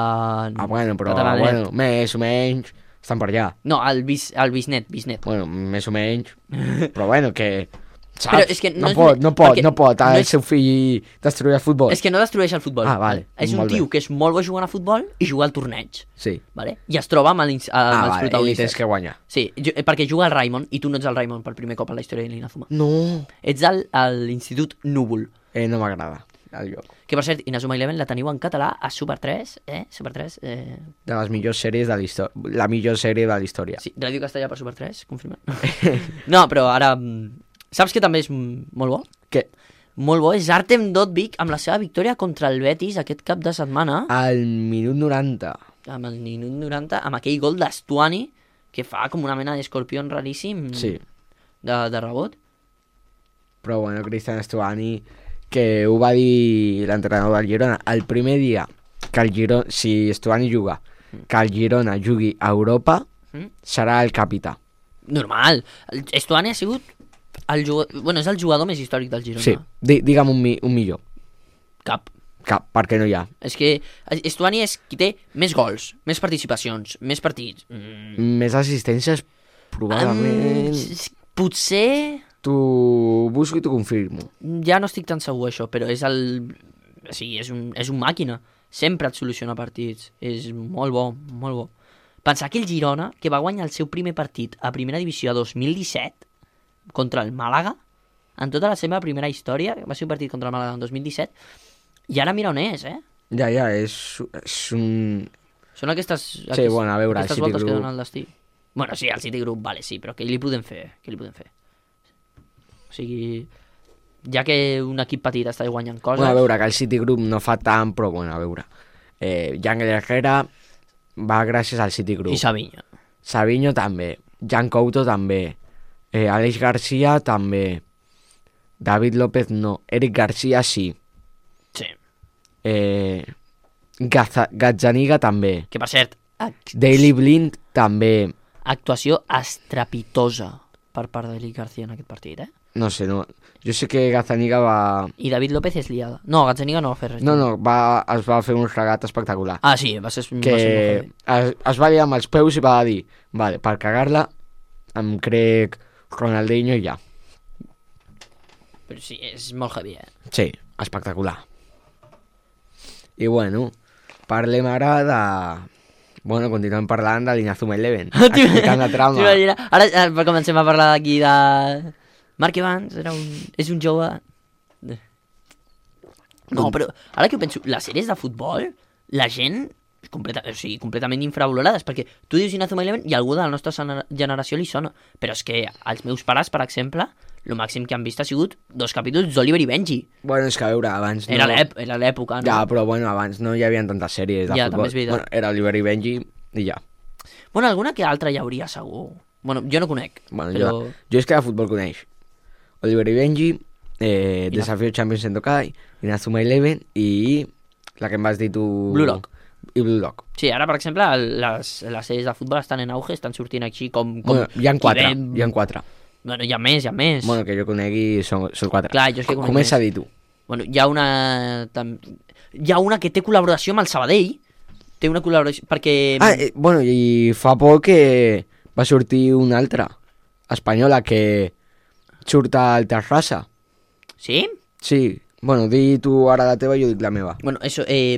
Bueno, però tataranet. més o menys estan per allà. No, el bisnet. Bueno, més o menys. Però bueno, que... Saps? Però és que no és- no perquè pot no el és- seu fill destruir el futbol. És que no destrueix el futbol. Ah, vale, És un molt tio bé. que és molt bo jugant a futbol i juga al torneig. Sí. Vale? I es troba amb els Vale, i protagonistes. tens que guanyar. Sí, perquè juga el Raimon i tu no ets el Raimon per primer cop en la història de l'Inazuma. No. Ets l'Institut Núvol. No m'agrada el lloc. Que per cert, Inazuma Eleven la teniu en català a Super 3, Super 3, De les millors sèries de la història. La millor sèrie de la història. sí, Ràdio Castellà per Super 3, confirma. No, però ara... Saps que també és molt bo? Què? Molt bo és Artem Dovbyk amb la seva victòria contra el Betis aquest cap de setmana. Al minut 90. Amb el minut 90, amb aquell gol d'Estuani que fa com una mena d'escorpió raríssim Sí. de rebot. Però bueno, Cristian Stuani, que ho va dir l'entrenador del Girona, el primer dia que el Girona, si Stuani juga, que el Girona jugui a Europa, serà el capità. Normal. Estuani ha sigut és el jugador més històric del Girona. Sí, digue'm un millor. Cap. Cap, perquè no hi ha. És que Estuani és qui té més gols, més participacions, més partits. Més assistències, probablement... Potser... T'ho busco i t'ho confirmo. Ja no estic tan segur això, però és és un màquina. Sempre et soluciona partits. És molt bo, molt bo. Pensar que el Girona, que va guanyar el seu primer partit a primera divisió a 2017 contra el Màlaga, en tota la seva primera història, va ser un partit contra el Màlaga en 2017, i ara mira on és, Ja, és un... Són aquestes Sí, bueno, a veure, el aquestes City voltes que Group. donen el destí. Bueno, sí, el City Group, vale, sí, però què li podem fer? O sigui, ja que un equip petit està guanyant coses... Bueno, a veure, que el City Group no fa tant, però bueno, a veure. Yangel Herrera va gràcies al City Group. I Savinho. Savinho també. Jan Couto també. Aleix Garcia també. David López no. Eric Garcia sí. Sí. Gazzaniga també. Que per cert, Daley Blind també. actuació estrepitosa per part d'Eric García en aquest partit, No sé, no. Jo sé que Gazzaniga va... I David López és liada. No, Gazzaniga no va fer res. No, es va fer un regat espectacular. Ah, sí, va ser Que molt heavy. es va liar amb els peus i va dir, vale, per cagar-la em crec Ronaldinho i ja. Però sí, és molt heavy, Sí, espectacular. I bueno, parlem ara de... Bueno, continuem parlant de l'Inazuma Eleven, explicant la trama. Ara comencem a parlar d'aquí de... Mark Evans és un jove... No, però ara que ho penso, les sèries de futbol, la gent completament infravalorades, perquè tu dius Inazuma Eleven i algú de la nostra generació li sona, però és que els meus pares, per exemple, el màxim que han vist ha sigut 2 capítols d'Oliver i Benji. Bueno, és que a veure, abans no... Era l'època, no? Ja, però bueno, abans no hi havia tantes sèries de Ja, futbol. també és veritat. Bueno, era Oliver i Benji i ja. Bueno, alguna que altra hi hauria, segur. Bueno, jo no conec, Bueno, però... jo és que de futbol coneix Oliver i Benji, Desafío Champions Sendokai, Inazuma Eleven i la que em vas dir tu... Blue Lock. I Blue Lock. Sí, ara, per exemple, les sèries de futbol estan en auge, estan sortint així com Bueno, hi ha 4, Kibem. hi ha 4. Bueno, hi ha més. Bueno, que jo conegui són 4. Clar, jo és que conec Comença a més. dir tu. Bueno, hi ha una que té col·laboració amb el Sabadell, té una col·laboració... Perquè... Bueno, i fa poc que va sortir una altra espanyola que surt al Terrassa. Sí? Sí, bueno, di tu ara la teva i jo dic la meva. Bueno, això, hi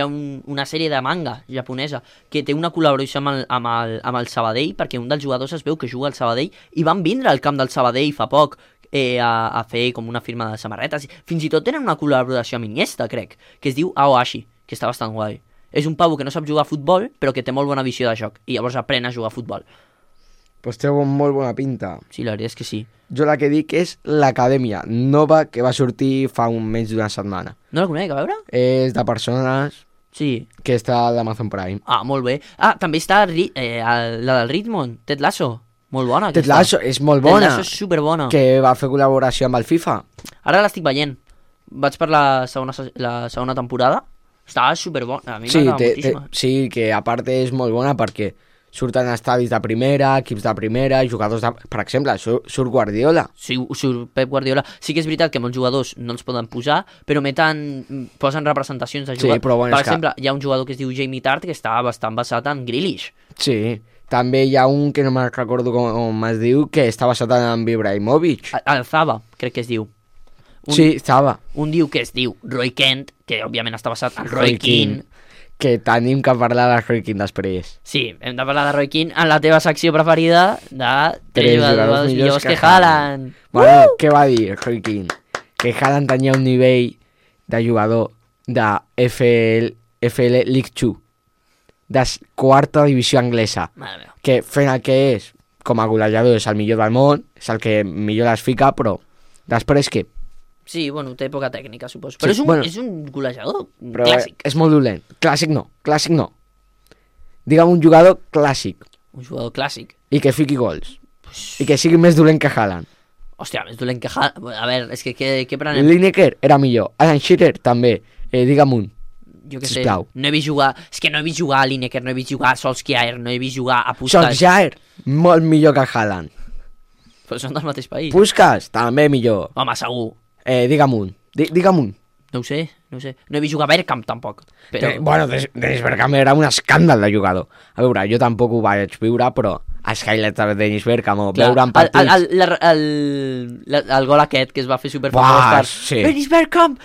ha una sèrie de manga japonesa que té una col·laboració amb el Sabadell, perquè un dels jugadors es veu que juga al Sabadell i van vindre al camp del Sabadell fa poc a fer com una firma de samarretes. Fins i tot tenen una col·laboració amb Iniesta, crec, que es diu Aoashi, que està bastant guai. És un pavo que no sap jugar a futbol, però que té molt bona visió de joc, i llavors aprèn a jugar a futbol. Pues té molt bona pinta. Sí, la veritat és que sí. Jo la que dic és l'Acadèmia Nova, que va sortir fa menys d'una setmana. No la conec, a veure? És de persones Sí. que està a l'Amazon Prime. Ah, molt bé. Ah, també està la del Ritmon, Ted Lasso. Molt bona. Ted Lasso és molt bona. Ted Lasso és superbona. Que va fer col·laboració amb el FIFA. Ara l'estic veient. Vaig per la segona temporada. Està superbona. A mi Sí, m'agrada moltíssim. sí, que a part és molt bona perquè surten estadis de primera, equips de primera, jugadors de... Per exemple, surt Guardiola. Sí, surt Pep Guardiola. Sí que és veritat que molts jugadors no els poden posar, però posen representacions de Sí, jugadors. però bueno, per és que- exemple, hi ha un jugador que es diu Jamie Tart que està bastant basat en Grealish. Sí. També hi ha un que no me'n recordo com es diu, que està basat en Ibrahimovic. Alzaba, crec que es diu. Sí, estava. Un diu que es diu Roy Kent, que òbviament està basat en Roy Keane. Que tenim que parlar de Roy Keane després. Sí, hem de parlar de Roy Keane en la teva secció preferida de Tres jugadors millors que Haaland. Bueno, què va dir Roy Keane? Que Haaland tenia un nivell de jugador de FL League 2, de quarta divisió anglesa, Mare meva. que fent el que és, com a golejador, és el millor del món, és el que millor les fica, però després què? Sí, bueno, té poca tècnica, suposo. Però Sí, és un golejador Però clàssic. és molt dolent. Clàssic no. Digue'm un jugador clàssic Un jugador clàssic. i que fiqui gols. I que sigui més dolent que Haaland. Hòstia, més dolent que Haaland. A veure, és que què prenem? Lineker era millor. Alan Shearer també. Digue'm un. Jo què sé, sisplau. no he vist jugar... És que no he vist jugar a Lineker, no he vist jugar a Solskjaer, no he vist jugar a Puskas. Solskjaer, molt millor que Haaland. Però són del mateix país. Puskas, també millor. Home, segur. Digue'm un. Digue'm un. No ho sé. No he vist jugar a Bergkamp, tampoc. Però... Bueno, Dennis Bergkamp era un escàndal de jugador. A veure, jo tampoc ho vaig viure, però els highlights de Dennis Bergkamp o Clar, veure en partits... el gol aquest que es va fer superfamós Buah, per... sí. Dennis Bergkamp!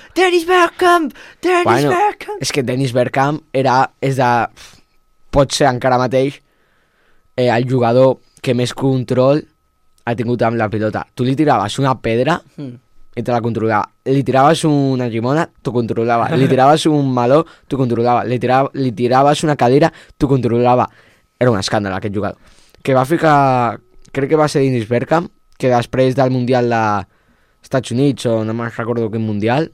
És que Dennis Bergkamp pot ser encara mateix el jugador que més control ha tingut amb la pilota. Tu li tiraves una pedra i te la controlava. Li tiraves una llimona, t'ho controlava. Li tiraves un meló, t'ho controlava. Li tiraves una cadira, t'ho controlava. Era un escàndol aquest jugador. Que va ficar... Crec que va ser Dennis Bergkamp, que després del Mundial dels Estats Units, o no me'n recordo quin Mundial,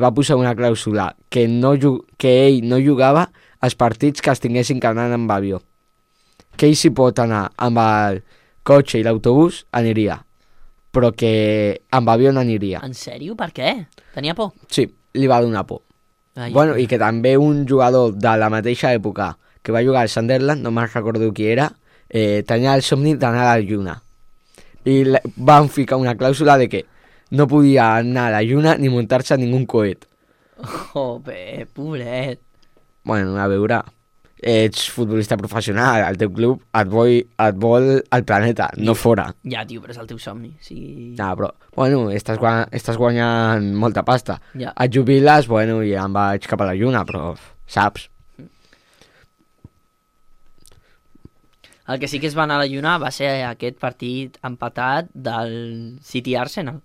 va posar una clàusula que ell no jugava als partits que es tinguessin que anar amb avió. Que ell si pot anar amb el cotxe i l'autobús, aniria. Però que amb avió no aniria. En sèrio? Per què? Tenia por? Sí, li va donar por. Ai, Bueno, i que també un jugador de la mateixa època que va jugar al Sunderland, no me'n recordo qui era, tenia el somni d'anar a la lluna. I van ficar una clàusula de que no podia anar a la lluna ni muntar-se en ningú coet. Joder, pobret. Bueno, a veure, ets futbolista professional, el teu club et vol al planeta, no fora. Ja, tio, però és el teu somni. Sí. No, però, bueno, estàs guanyant molta pasta. Ja. Et jubiles, bueno, i em vaig cap a la lluna, però saps? El que sí que es va anar a la lluna va ser aquest partit empatat del City Arsenal.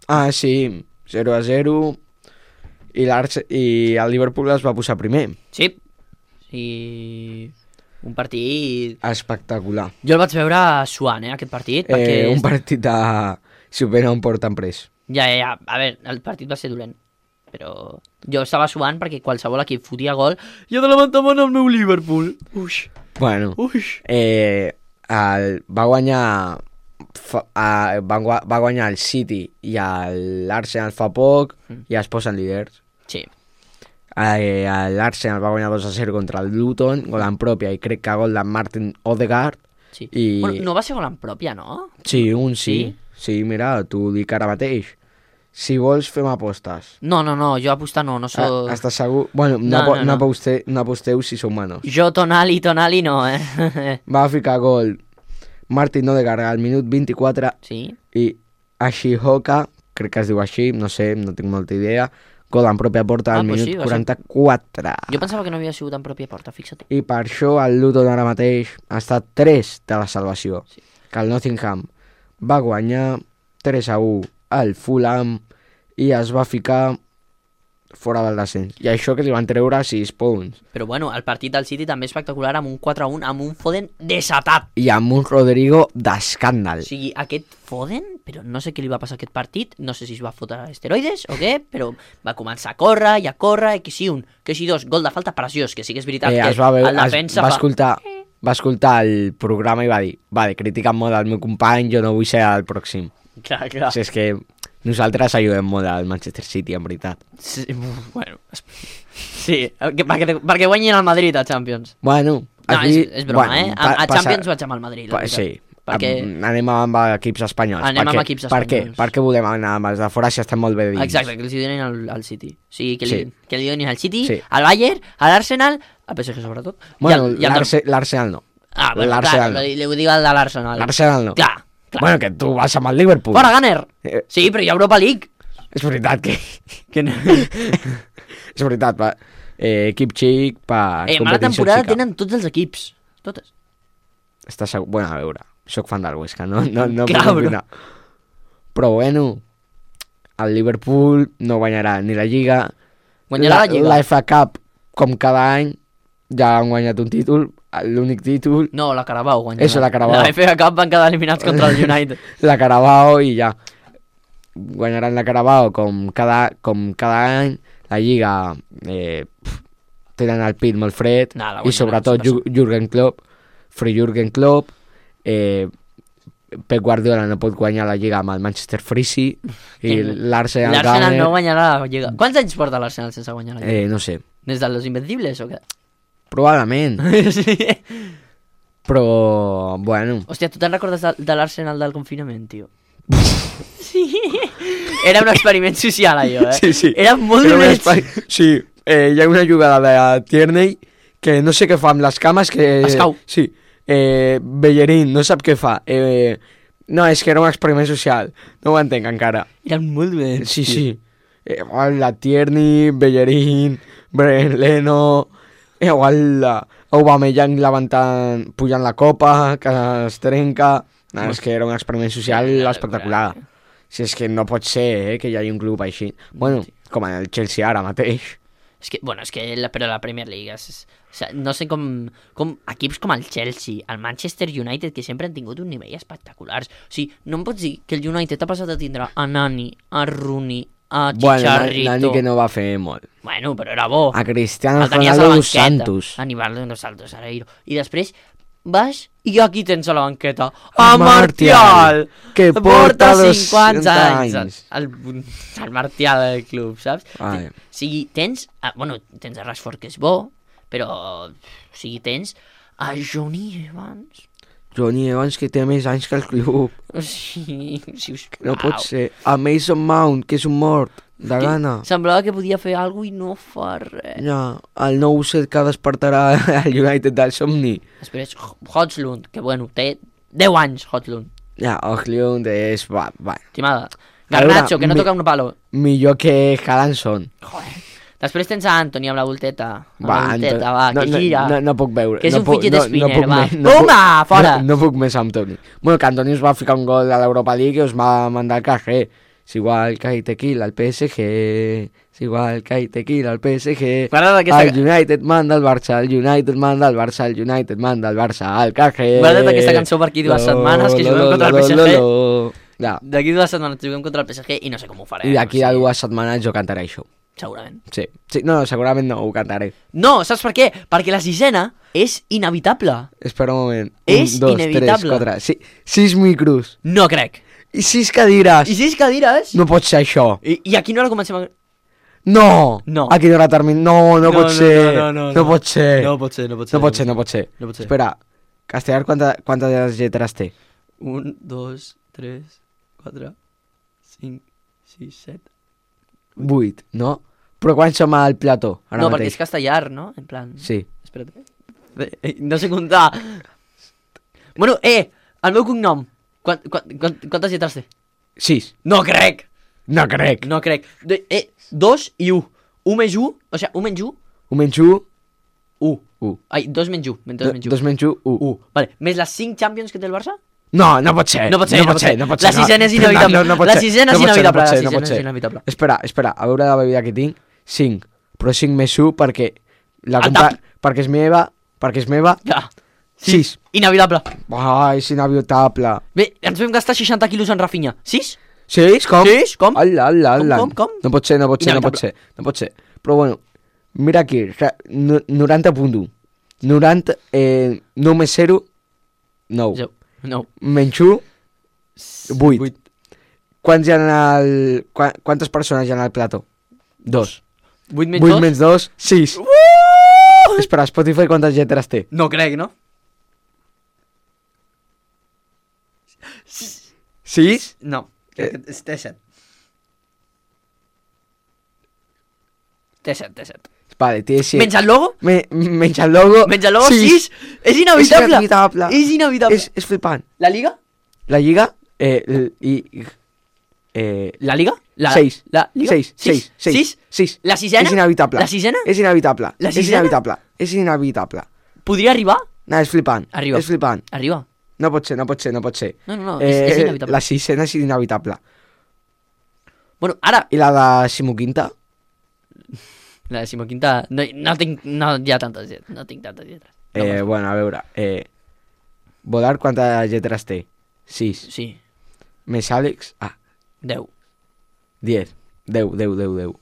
Ah, sí, 0-0, i el Liverpool es va posar primer. Sí. I un partit... Espectacular. Jo el vaig veure suant, aquest partit, perquè... Un partit de... Si ho venen porten pres. Ja. A veure, el partit va ser dolent. Però jo estava suant perquè qualsevol equip fotia gol i he de levantar-me el meu Liverpool. Uix. Bueno, va guanyar el City i l'Arsenal fa poc i es posen líders. Sí. L'Arsenal va guanyar 2-0 contra el Luton, gol en pròpia i crec que gol de Martin Odegaard. Sí. I... Bueno, no va ser gol en pròpia, no? Sí, un sí. Sí, mira, t'ho dic ara mateix. Si vols, fem apostes. No, jo apostar no soc... Estàs segur? Bueno, no aposteu si sou manos. Jo Tonali no, Va ficar gol Martin Odegaard al minut 24 Sí? i Ashihoka, crec que es diu així, no sé, no tinc molta idea, gol en pròpia porta al minut sí, 44. Jo pensava que no havia sigut en pròpia porta, fixa't. I per això el Luton ara mateix ha estat 3 de la salvació. Sí. Que el Nottingham va guanyar 3-1 al Fulham i es va ficar fora del descens. I això que li van treure 6 punts. Però bueno, el partit del City també espectacular amb un 4-1, amb un Foden desatat. I amb un Rodrigo d'escàndal. O sigui, aquest Foden, però no sé què li va passar a aquest partit, no sé si es va fotre esteroides o què, però va començar a córrer, que sí un, que sí dos, gol de falta preciós, que sí que és veritat que el defensa va escoltar el programa i va dir, vale, critica molt el meu company, jo no vull ser el pròxim. Clar. O sigui, és que nosaltres ajudem molt al Manchester City, en veritat. Sí, bueno, sí, perquè guanyin el Madrid a Champions. Bueno, aquí... No, és broma, a Champions vaig amb el Madrid. Sí, perquè... anem amb equips espanyols. Anem amb equips espanyols. Per què volem anar amb els de fora si estem molt bé dins? Exacte, que els donin al City. O sigui, que li donin al City, sí. Al Bayern, a l'Arsenal, al PSG sobretot. Bueno, l'Arsenal no. Ah, bueno, clar, li ho dic al de l'Arsenal. L'Arsenal no. Clar. Bueno, que tu vas amb el Liverpool. Fora, Gunner! Sí, però hi ha Europa League. És veritat que no. És veritat, va. Equip xic per competició mala temporada xica. Tenen tots els equips. Totes. Estàs segur? Bueno, a veure, soc fan del Huesca, no Clar, puc opinar. Però bueno, el Liverpool no guanyarà ni la Lliga. Guanyarà la Lliga. La FA Cup, com cada any, ja han guanyat un títol, l'únic títol. No, la Carabao guanyarà. Eso, la Carabao. La FA Cup van quedar eliminats contra el United. La Carabao i ja. Guanyaran la Carabao com cada any. La Lliga tenen el pit molt fred. I sobretot Jürgen Klopp, Jürgen Klopp, Pep Guardiola no pot guanyar la Lliga amb el Manchester Freezy i l'Arsenal no guanyarà la Lliga. Quants anys porta l'Arsenal sense guanyar la Lliga? No sé. Des de los Invencibles o què? Probablement. Sí. Però, bueno... Hòstia, tu te'n recordes de l'Arsenal del confinament, tio? Sí. Era un experiment social, allò, Sí. Era molt dolent. Sí, hi ha una jugada de Tierney que no sé què fa amb les cames que... Es cau. Sí. Bellerín no sap què fa. No, és que era un experiment social. No ho entenc encara. Eren molt dolents. Sí. La Tierney, Bellerín, Brian Leno... Igual Aubameyang pujant la copa, que es trenca... No, és que era un experiment social espectacular. Si és que no pot ser que hi hagi un club així. Bueno, com el Chelsea ara mateix. Però la Premier League no sé com equips com el Chelsea, el Manchester United, que sempre han tingut un nivell espectacular. O sigui, no em pots dir que el United ha passat a tindre a Nani, a Rooney, a Chicharito... Bueno, Nani que no va fer molt. Bueno, però era bo. A Cristiano Ronaldo dos Santos. A Nivaldo dos Santos, Areiro. I després vas i aquí tens a la banqueta a Martial, que porta 50 anys. El Martial del club, saps? O sigui, tens a Rashford, que és bo, però o sigui, tens a Johnny Evans, que té més anys que el club. Sí, sisplau. No pot ser. A Mason Mount, que és un mort de gana. Semblava que podia fer alguna cosa i no fa res. Ja, el nou set que despertarà el United del somni. Després, Højlund, que bueno, té 10 anys, Højlund. Ja, Højlund és... Va. Estimada. Garnacho, que no toca un palo. Millor que Haalandson. Joder. Després tens a Antoni amb la volteta. Que gira. No puc veure. Que és un fidget spinner, va. Puma, fora! No puc més amb Antoni. Bueno, que Antoni us va ficar un gol a l'Europa League i us va mandar al cajé. És igual que hay tequila al PSG. És igual que hay tequila al PSG. El United manda al Barça, el United manda al Barça, el United manda al Barça, al cajé. Guarda't aquesta cançó per aquí 2 setmanes que juguem contra el PSG. D'aquí 2 setmanes juguem contra el PSG i no sé com ho farem. I d'aquí a 2 setmanes jo cantaré això. Segurament. Sí. No, segurament no, ho cantaré. No, saps per què? Perquè la sisena és inevitable. Espera un moment. És inevitable. 3, 4, 6 micros. No crec. I 6 cadires. I 6 cadires? No pot ser això. I a quina hora comencem a... No! A quina hora termina? No pot ser. No pot ser. No pot ser. Espera, Castellar quantes lletres té? 1, 2, 3, 4, 5, 6, 7... 8, no? Però quan som al plató, ara No, mateix? perquè és castellar, no? En plan... Sí. Espera't. No sé comptar. Bueno, el meu cognom. Quantes lletres té? 6. No crec! No crec. No crec. 2 i 1. 1 més 1, o sigui, 1 menys 1, 1 menys 1, 1. 1. Ai, 2 menys 1, 2 menys 1. 2 menys 1, 1. 1. Vale, més les 5 Champions que té el Barça? No, no pot ser. No pot ser, no pot ser. No pot ser. La sisena és inevitable. La sisena és inevitable. La sisena és inevitable. Espera, a veure la bebida que tinc. 5. Però 5 més 1 perquè la El compra... tap. Perquè és meva. Ja. 6. Inevitable. Ai, és inevitable. Bé, ens vam gastar 60 quilos en Rafinha. 6? 6? Com? 6? Com? Ala. Com? No pot ser. No pot ser. Però bueno, mira aquí. 90.1. 90... 9 més 0... 9. No. Menys 1... 8. Quants hi ha quantes persones hi ha al plató? 2. 8 menys 2? 8 menys 2, 6. Espera, Spotify quantes lletres té? No crec, no? 6? No. Crec que té 7. Té 7. Vale, té 7. Menys el logo? Menys el logo. Menys el logo, 6. És inevitable. És inevitable. És flipant. La Liga? La Lliga... La Liga? 6. La Liga? 6. La sisena? És inevitable. La sisena? És inevitable. La És sisena? inevitable. Podria arribar? No, és flipant. Arriba. És flipant. Arriba. No pot ser. No, és inevitable. La sisena és inevitable. Bueno, ara... I la de Simoquinta? La decimoquinta... No hi ha tantes lletres. No tinc tantes lletres. Bueno, a veure. Volar quantes lletres té? 6. Sí, Més Àlex? 10. 10. 10.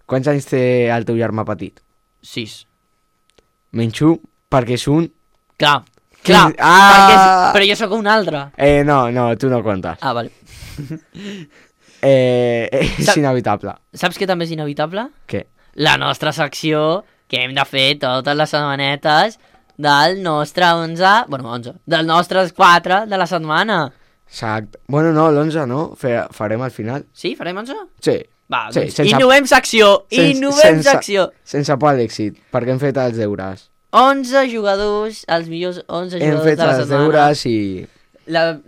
Quants anys té el teu germà petit? 6. Menys 1, perquè és un... Clar. Però jo sóc un altre. No, tu no comptes. Vale. És inevitable. Saps què també és inevitable? Què? La nostra secció que hem de fer totes les setmanetes del nostre 11... Bueno, 11. Dels nostres 4 de la setmana. Exacte. Bueno, no, l'11 no. Farem al final. Sí? Farem 11? Sí. Va, Sí, doncs sense- innovem secció. Innovem secció. Sense por a l'èxit, perquè hem fet els deures. 11 jugadors, els millors 11 Hem jugadors fet de la els setmana. deures i...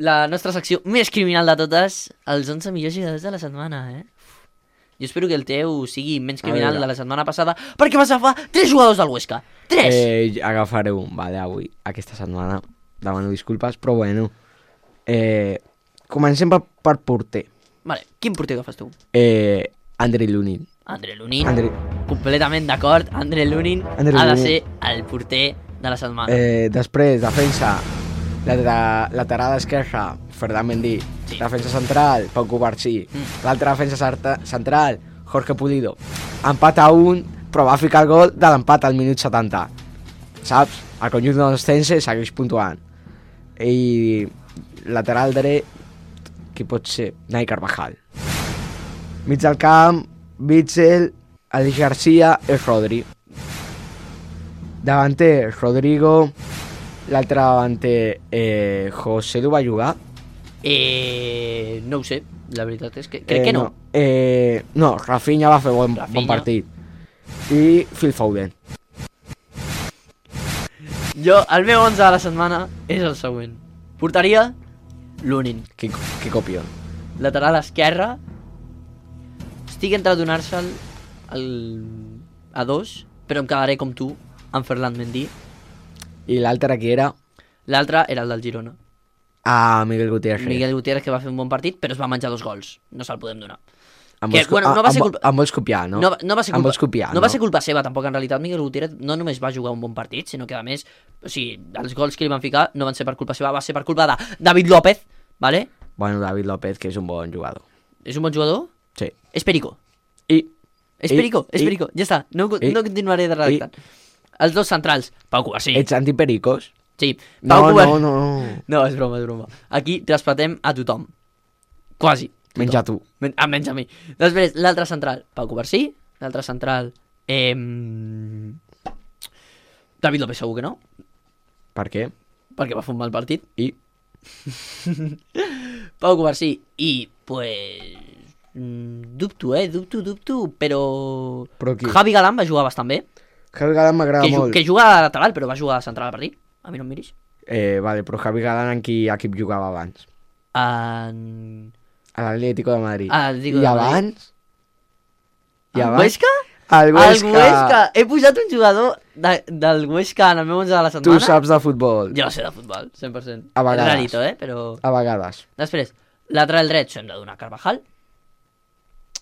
La nostra secció més criminal de totes, els 11 millors jugadors de la setmana, Jo espero que el teu sigui menys criminal veure. de la setmana passada, perquè vas agafar 3 jugadors del Huesca. 3! Agafaré un, vale, avui, aquesta setmana. Demano disculpes, però bueno. Comencem per porter. Vale, quin porter agafes tu? Andrei Lunin. André Lunin. Completament d'acord. André Lunin ha de ser el porter de la setmana. Després, defensa. Lateral esquerra, Ferran Mendy. Sí. Defensa central, Pau Cubarsí. L'altre defensa central, Jorge Pulido. Empat a 1, però va ficar el gol de l'empat al minut 70. Saps? El conjunt de l'Ostense segueix puntuant. I lateral dret, qui pot ser? Nai Carvajal. Mig del camp, Bitzel, Alex Garcia i Rodri. Davanter, Rodrigo. L'altre davanter, José Lu va jugar? No ho sé, la veritat és que crec que no. No, Rafinha va fer bon partit. I Phil Foden. El meu 11 de la setmana és el següent. Portaria Lunin. Que copió. Lateral esquerra. Estic entre donar-se'l a 2, però em quedaré com tu, amb Ferland Mendy. I l'altre qui era? L'altre era el del Girona. Miguel Gutiérrez. Miguel Gutiérrez, que va fer un bon partit, però es va menjar 2 gols. No se'l podem donar. Em vols copiar, no? No va ser Em culpa, vols copiar, no va ser culpa seva, tampoc, en realitat. Miguel Gutiérrez no només va jugar un bon partit, sinó que, a més, o sigui, els gols que li van ficar no van ser per culpa seva, va ser per culpa de David López, ¿vale? Bueno, David López, que és un bon jugador. És un bon jugador? Sí. És Perico. És Perico. Ja està, no continuaré de redactant. Els dos centrals, Pau Cubarsí. Ets antipericos? Sí, No. No, és broma. Aquí traspatem a tothom. Quasi. Menys a tu. Menys a mi. Després, l'altre central, Pau Cubarsí. L'altre central, David López segur que no, Per què? perquè va fer un mal partit. I? Pau Cubarsí i, pues... Dubto, però... Però qui? Javi Galán va jugar bastant bé. Javi Galán m'agrada molt. Que juga a lateral, però va jugar a central al partit. A mi no em miris. Vale, però Javi Galán en quin equip jugava abans? En... A l'Atlético de Madrid. Atlético I de Madrid. abans? El Huesca? El Huesca. El Huesca. He posat un jugador del Huesca en el meu 11 de la setmana. Tu saps de futbol. Jo sé de futbol, 100%. A vegades. És rarito, però... A vegades. Després, lateral dret s'ho hem de donar a Carvajal.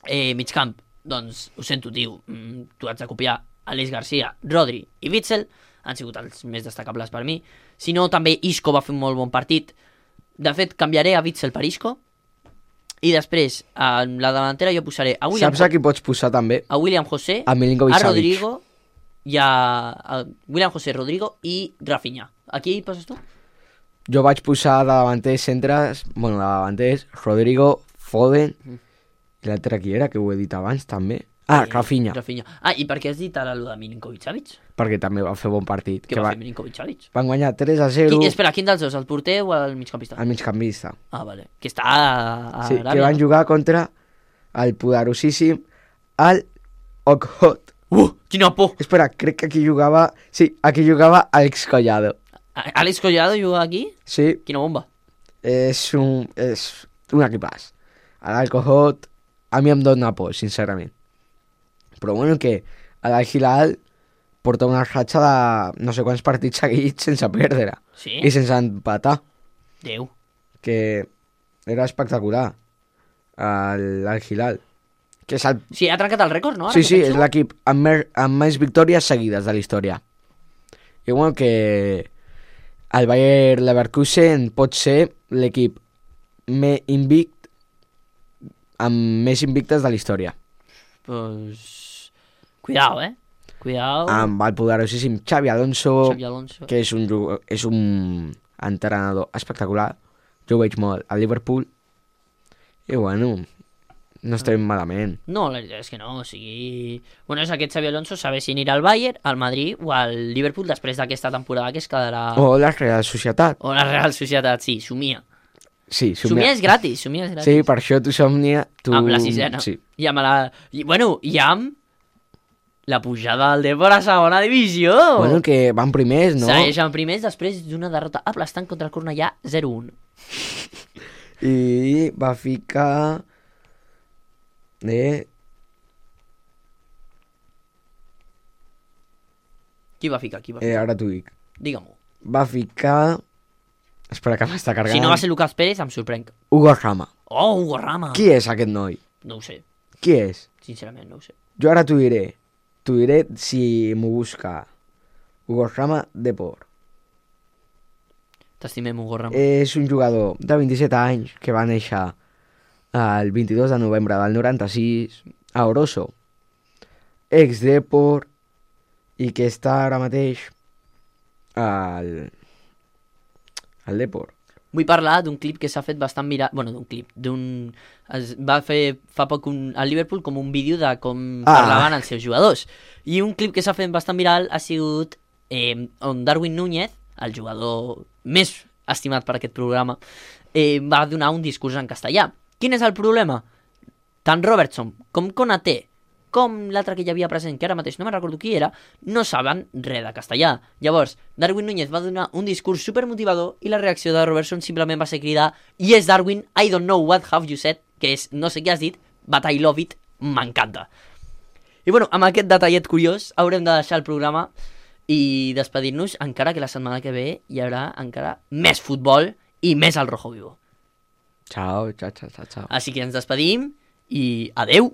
Mig camp, doncs, ho sento, tio, tu has de copiar Aleix Garcia, Rodri i Witsel, han sigut els més destacables per mi. Si no, també Isco va fer un molt bon partit. De fet, canviaré a Witsel per Isco. I després, en la delantera jo posaré a William, Saps a qui pots posar també? a William José, A Milinkovic a Savic. Rodrigo i a William José, Rodrigo i Rafinha. A qui poses tu? Jo vaig posar de davanters centres, bueno, de davanters, Rodrigo, Foden, i l'altre qui era, que ho he dit abans també. Rafinha, Rafinha. I per què has dit ara allò de Milinkovic Savic? perquè també va fer bon partit. Què va fer Milinkovic Savic? Van guanyar 3-0 Espera, quin dels dos? El porter o el migcampista? al migcampista. Vale. Que està a Sí, Aràbia. que van jugar contra el poderosíssim Al Okhot. Quina por! Espera, crec que aquí jugava... Sí, aquí jugava Alex Collado. Àlex Collado juga aquí? Sí, Quina bomba. és un equipàs. L'Alcohot a mi em dona por, sincerament. Però bueno, que l'Al-Hilal porta una ratxa de no sé quants partits seguits sense perdre. Sí? I sense empatar, Déu. que era espectacular. L'Al-Hilal. Que és el... Sí, ha trencat el rècord, no? Ara Sí, que sí, penso. és l'equip amb més victòries seguides de la història. I bueno, que el Bayer Leverkusen pot ser l'equip amb més invictes de la història. Pues... Cuidao, Cuidao. Amb el poderosíssim Xavi Alonso, Xavi Alonso. que és un entrenador espectacular. Jo ho veig molt a Liverpool. I bueno, no estem malament. No, la veritat és que no, o sigui... Bueno, és aquest Xavi Alonso saber si anirà al Bayern, al Madrid o al Liverpool després d'aquesta temporada que es quedarà... O la Real Societat. O la Real Societat, sí, somia. Sí, Somia és gratis, somia és gratis. Sí, per això tu somnia... Tu... Amb la sisena. Sí. I amb la... I, bueno, i amb la pujada del Depor a segona divisió. Bueno, que van primers, no? Segueixen primers després d'una derrota aplastant contra el Cornellà 0-1. I va ficar... Qui va ficar? ara t'ho dic. Digue-m'ho. Va ficar... Espera, que m'està carregant. Si no va ser Lucas Pérez, em sorprenc. Hugo Rama. Oh, Hugo Rama. Qui és aquest noi? No ho sé, Qui és? sincerament no ho sé. Jo ara t'ho diré. T'ho diré si m'ho busca. Hugo Rama Depor. T'estimem, Hugo Rama. És un jugador de 27 anys que va néixer el 22 de novembre del 96 a Oroso. Ex-Depor i que està ara mateix al Depor. Vull parlar d'un clip que s'ha fet bastant viral... Bueno, d'un clip, es va fer fa poc al Liverpool com un vídeo de com parlaven els seus jugadors. I un clip que s'ha fet bastant viral ha sigut on Darwin Núñez, el jugador més estimat per aquest programa, va donar un discurs en castellà. Quin és el problema? Tant Robertson com Konaté, com l'altre que hi havia present, que ara mateix no me'n recordo qui era, no saben res de castellà. Llavors, Darwin Núñez va donar un discurs supermotivador i la reacció de Robertson simplement va ser cridar "Yes, Darwin, I don't know what have you said", que és "no sé què has dit, but I love it", m'encanta. I bueno, amb aquest detallet curiós haurem de deixar el programa i despedir-nos, encara que la setmana que ve hi haurà encara més futbol i més al Rojo Vivo. Ciao, ciao, ciao, ciao. Així que ens despedim i adeu!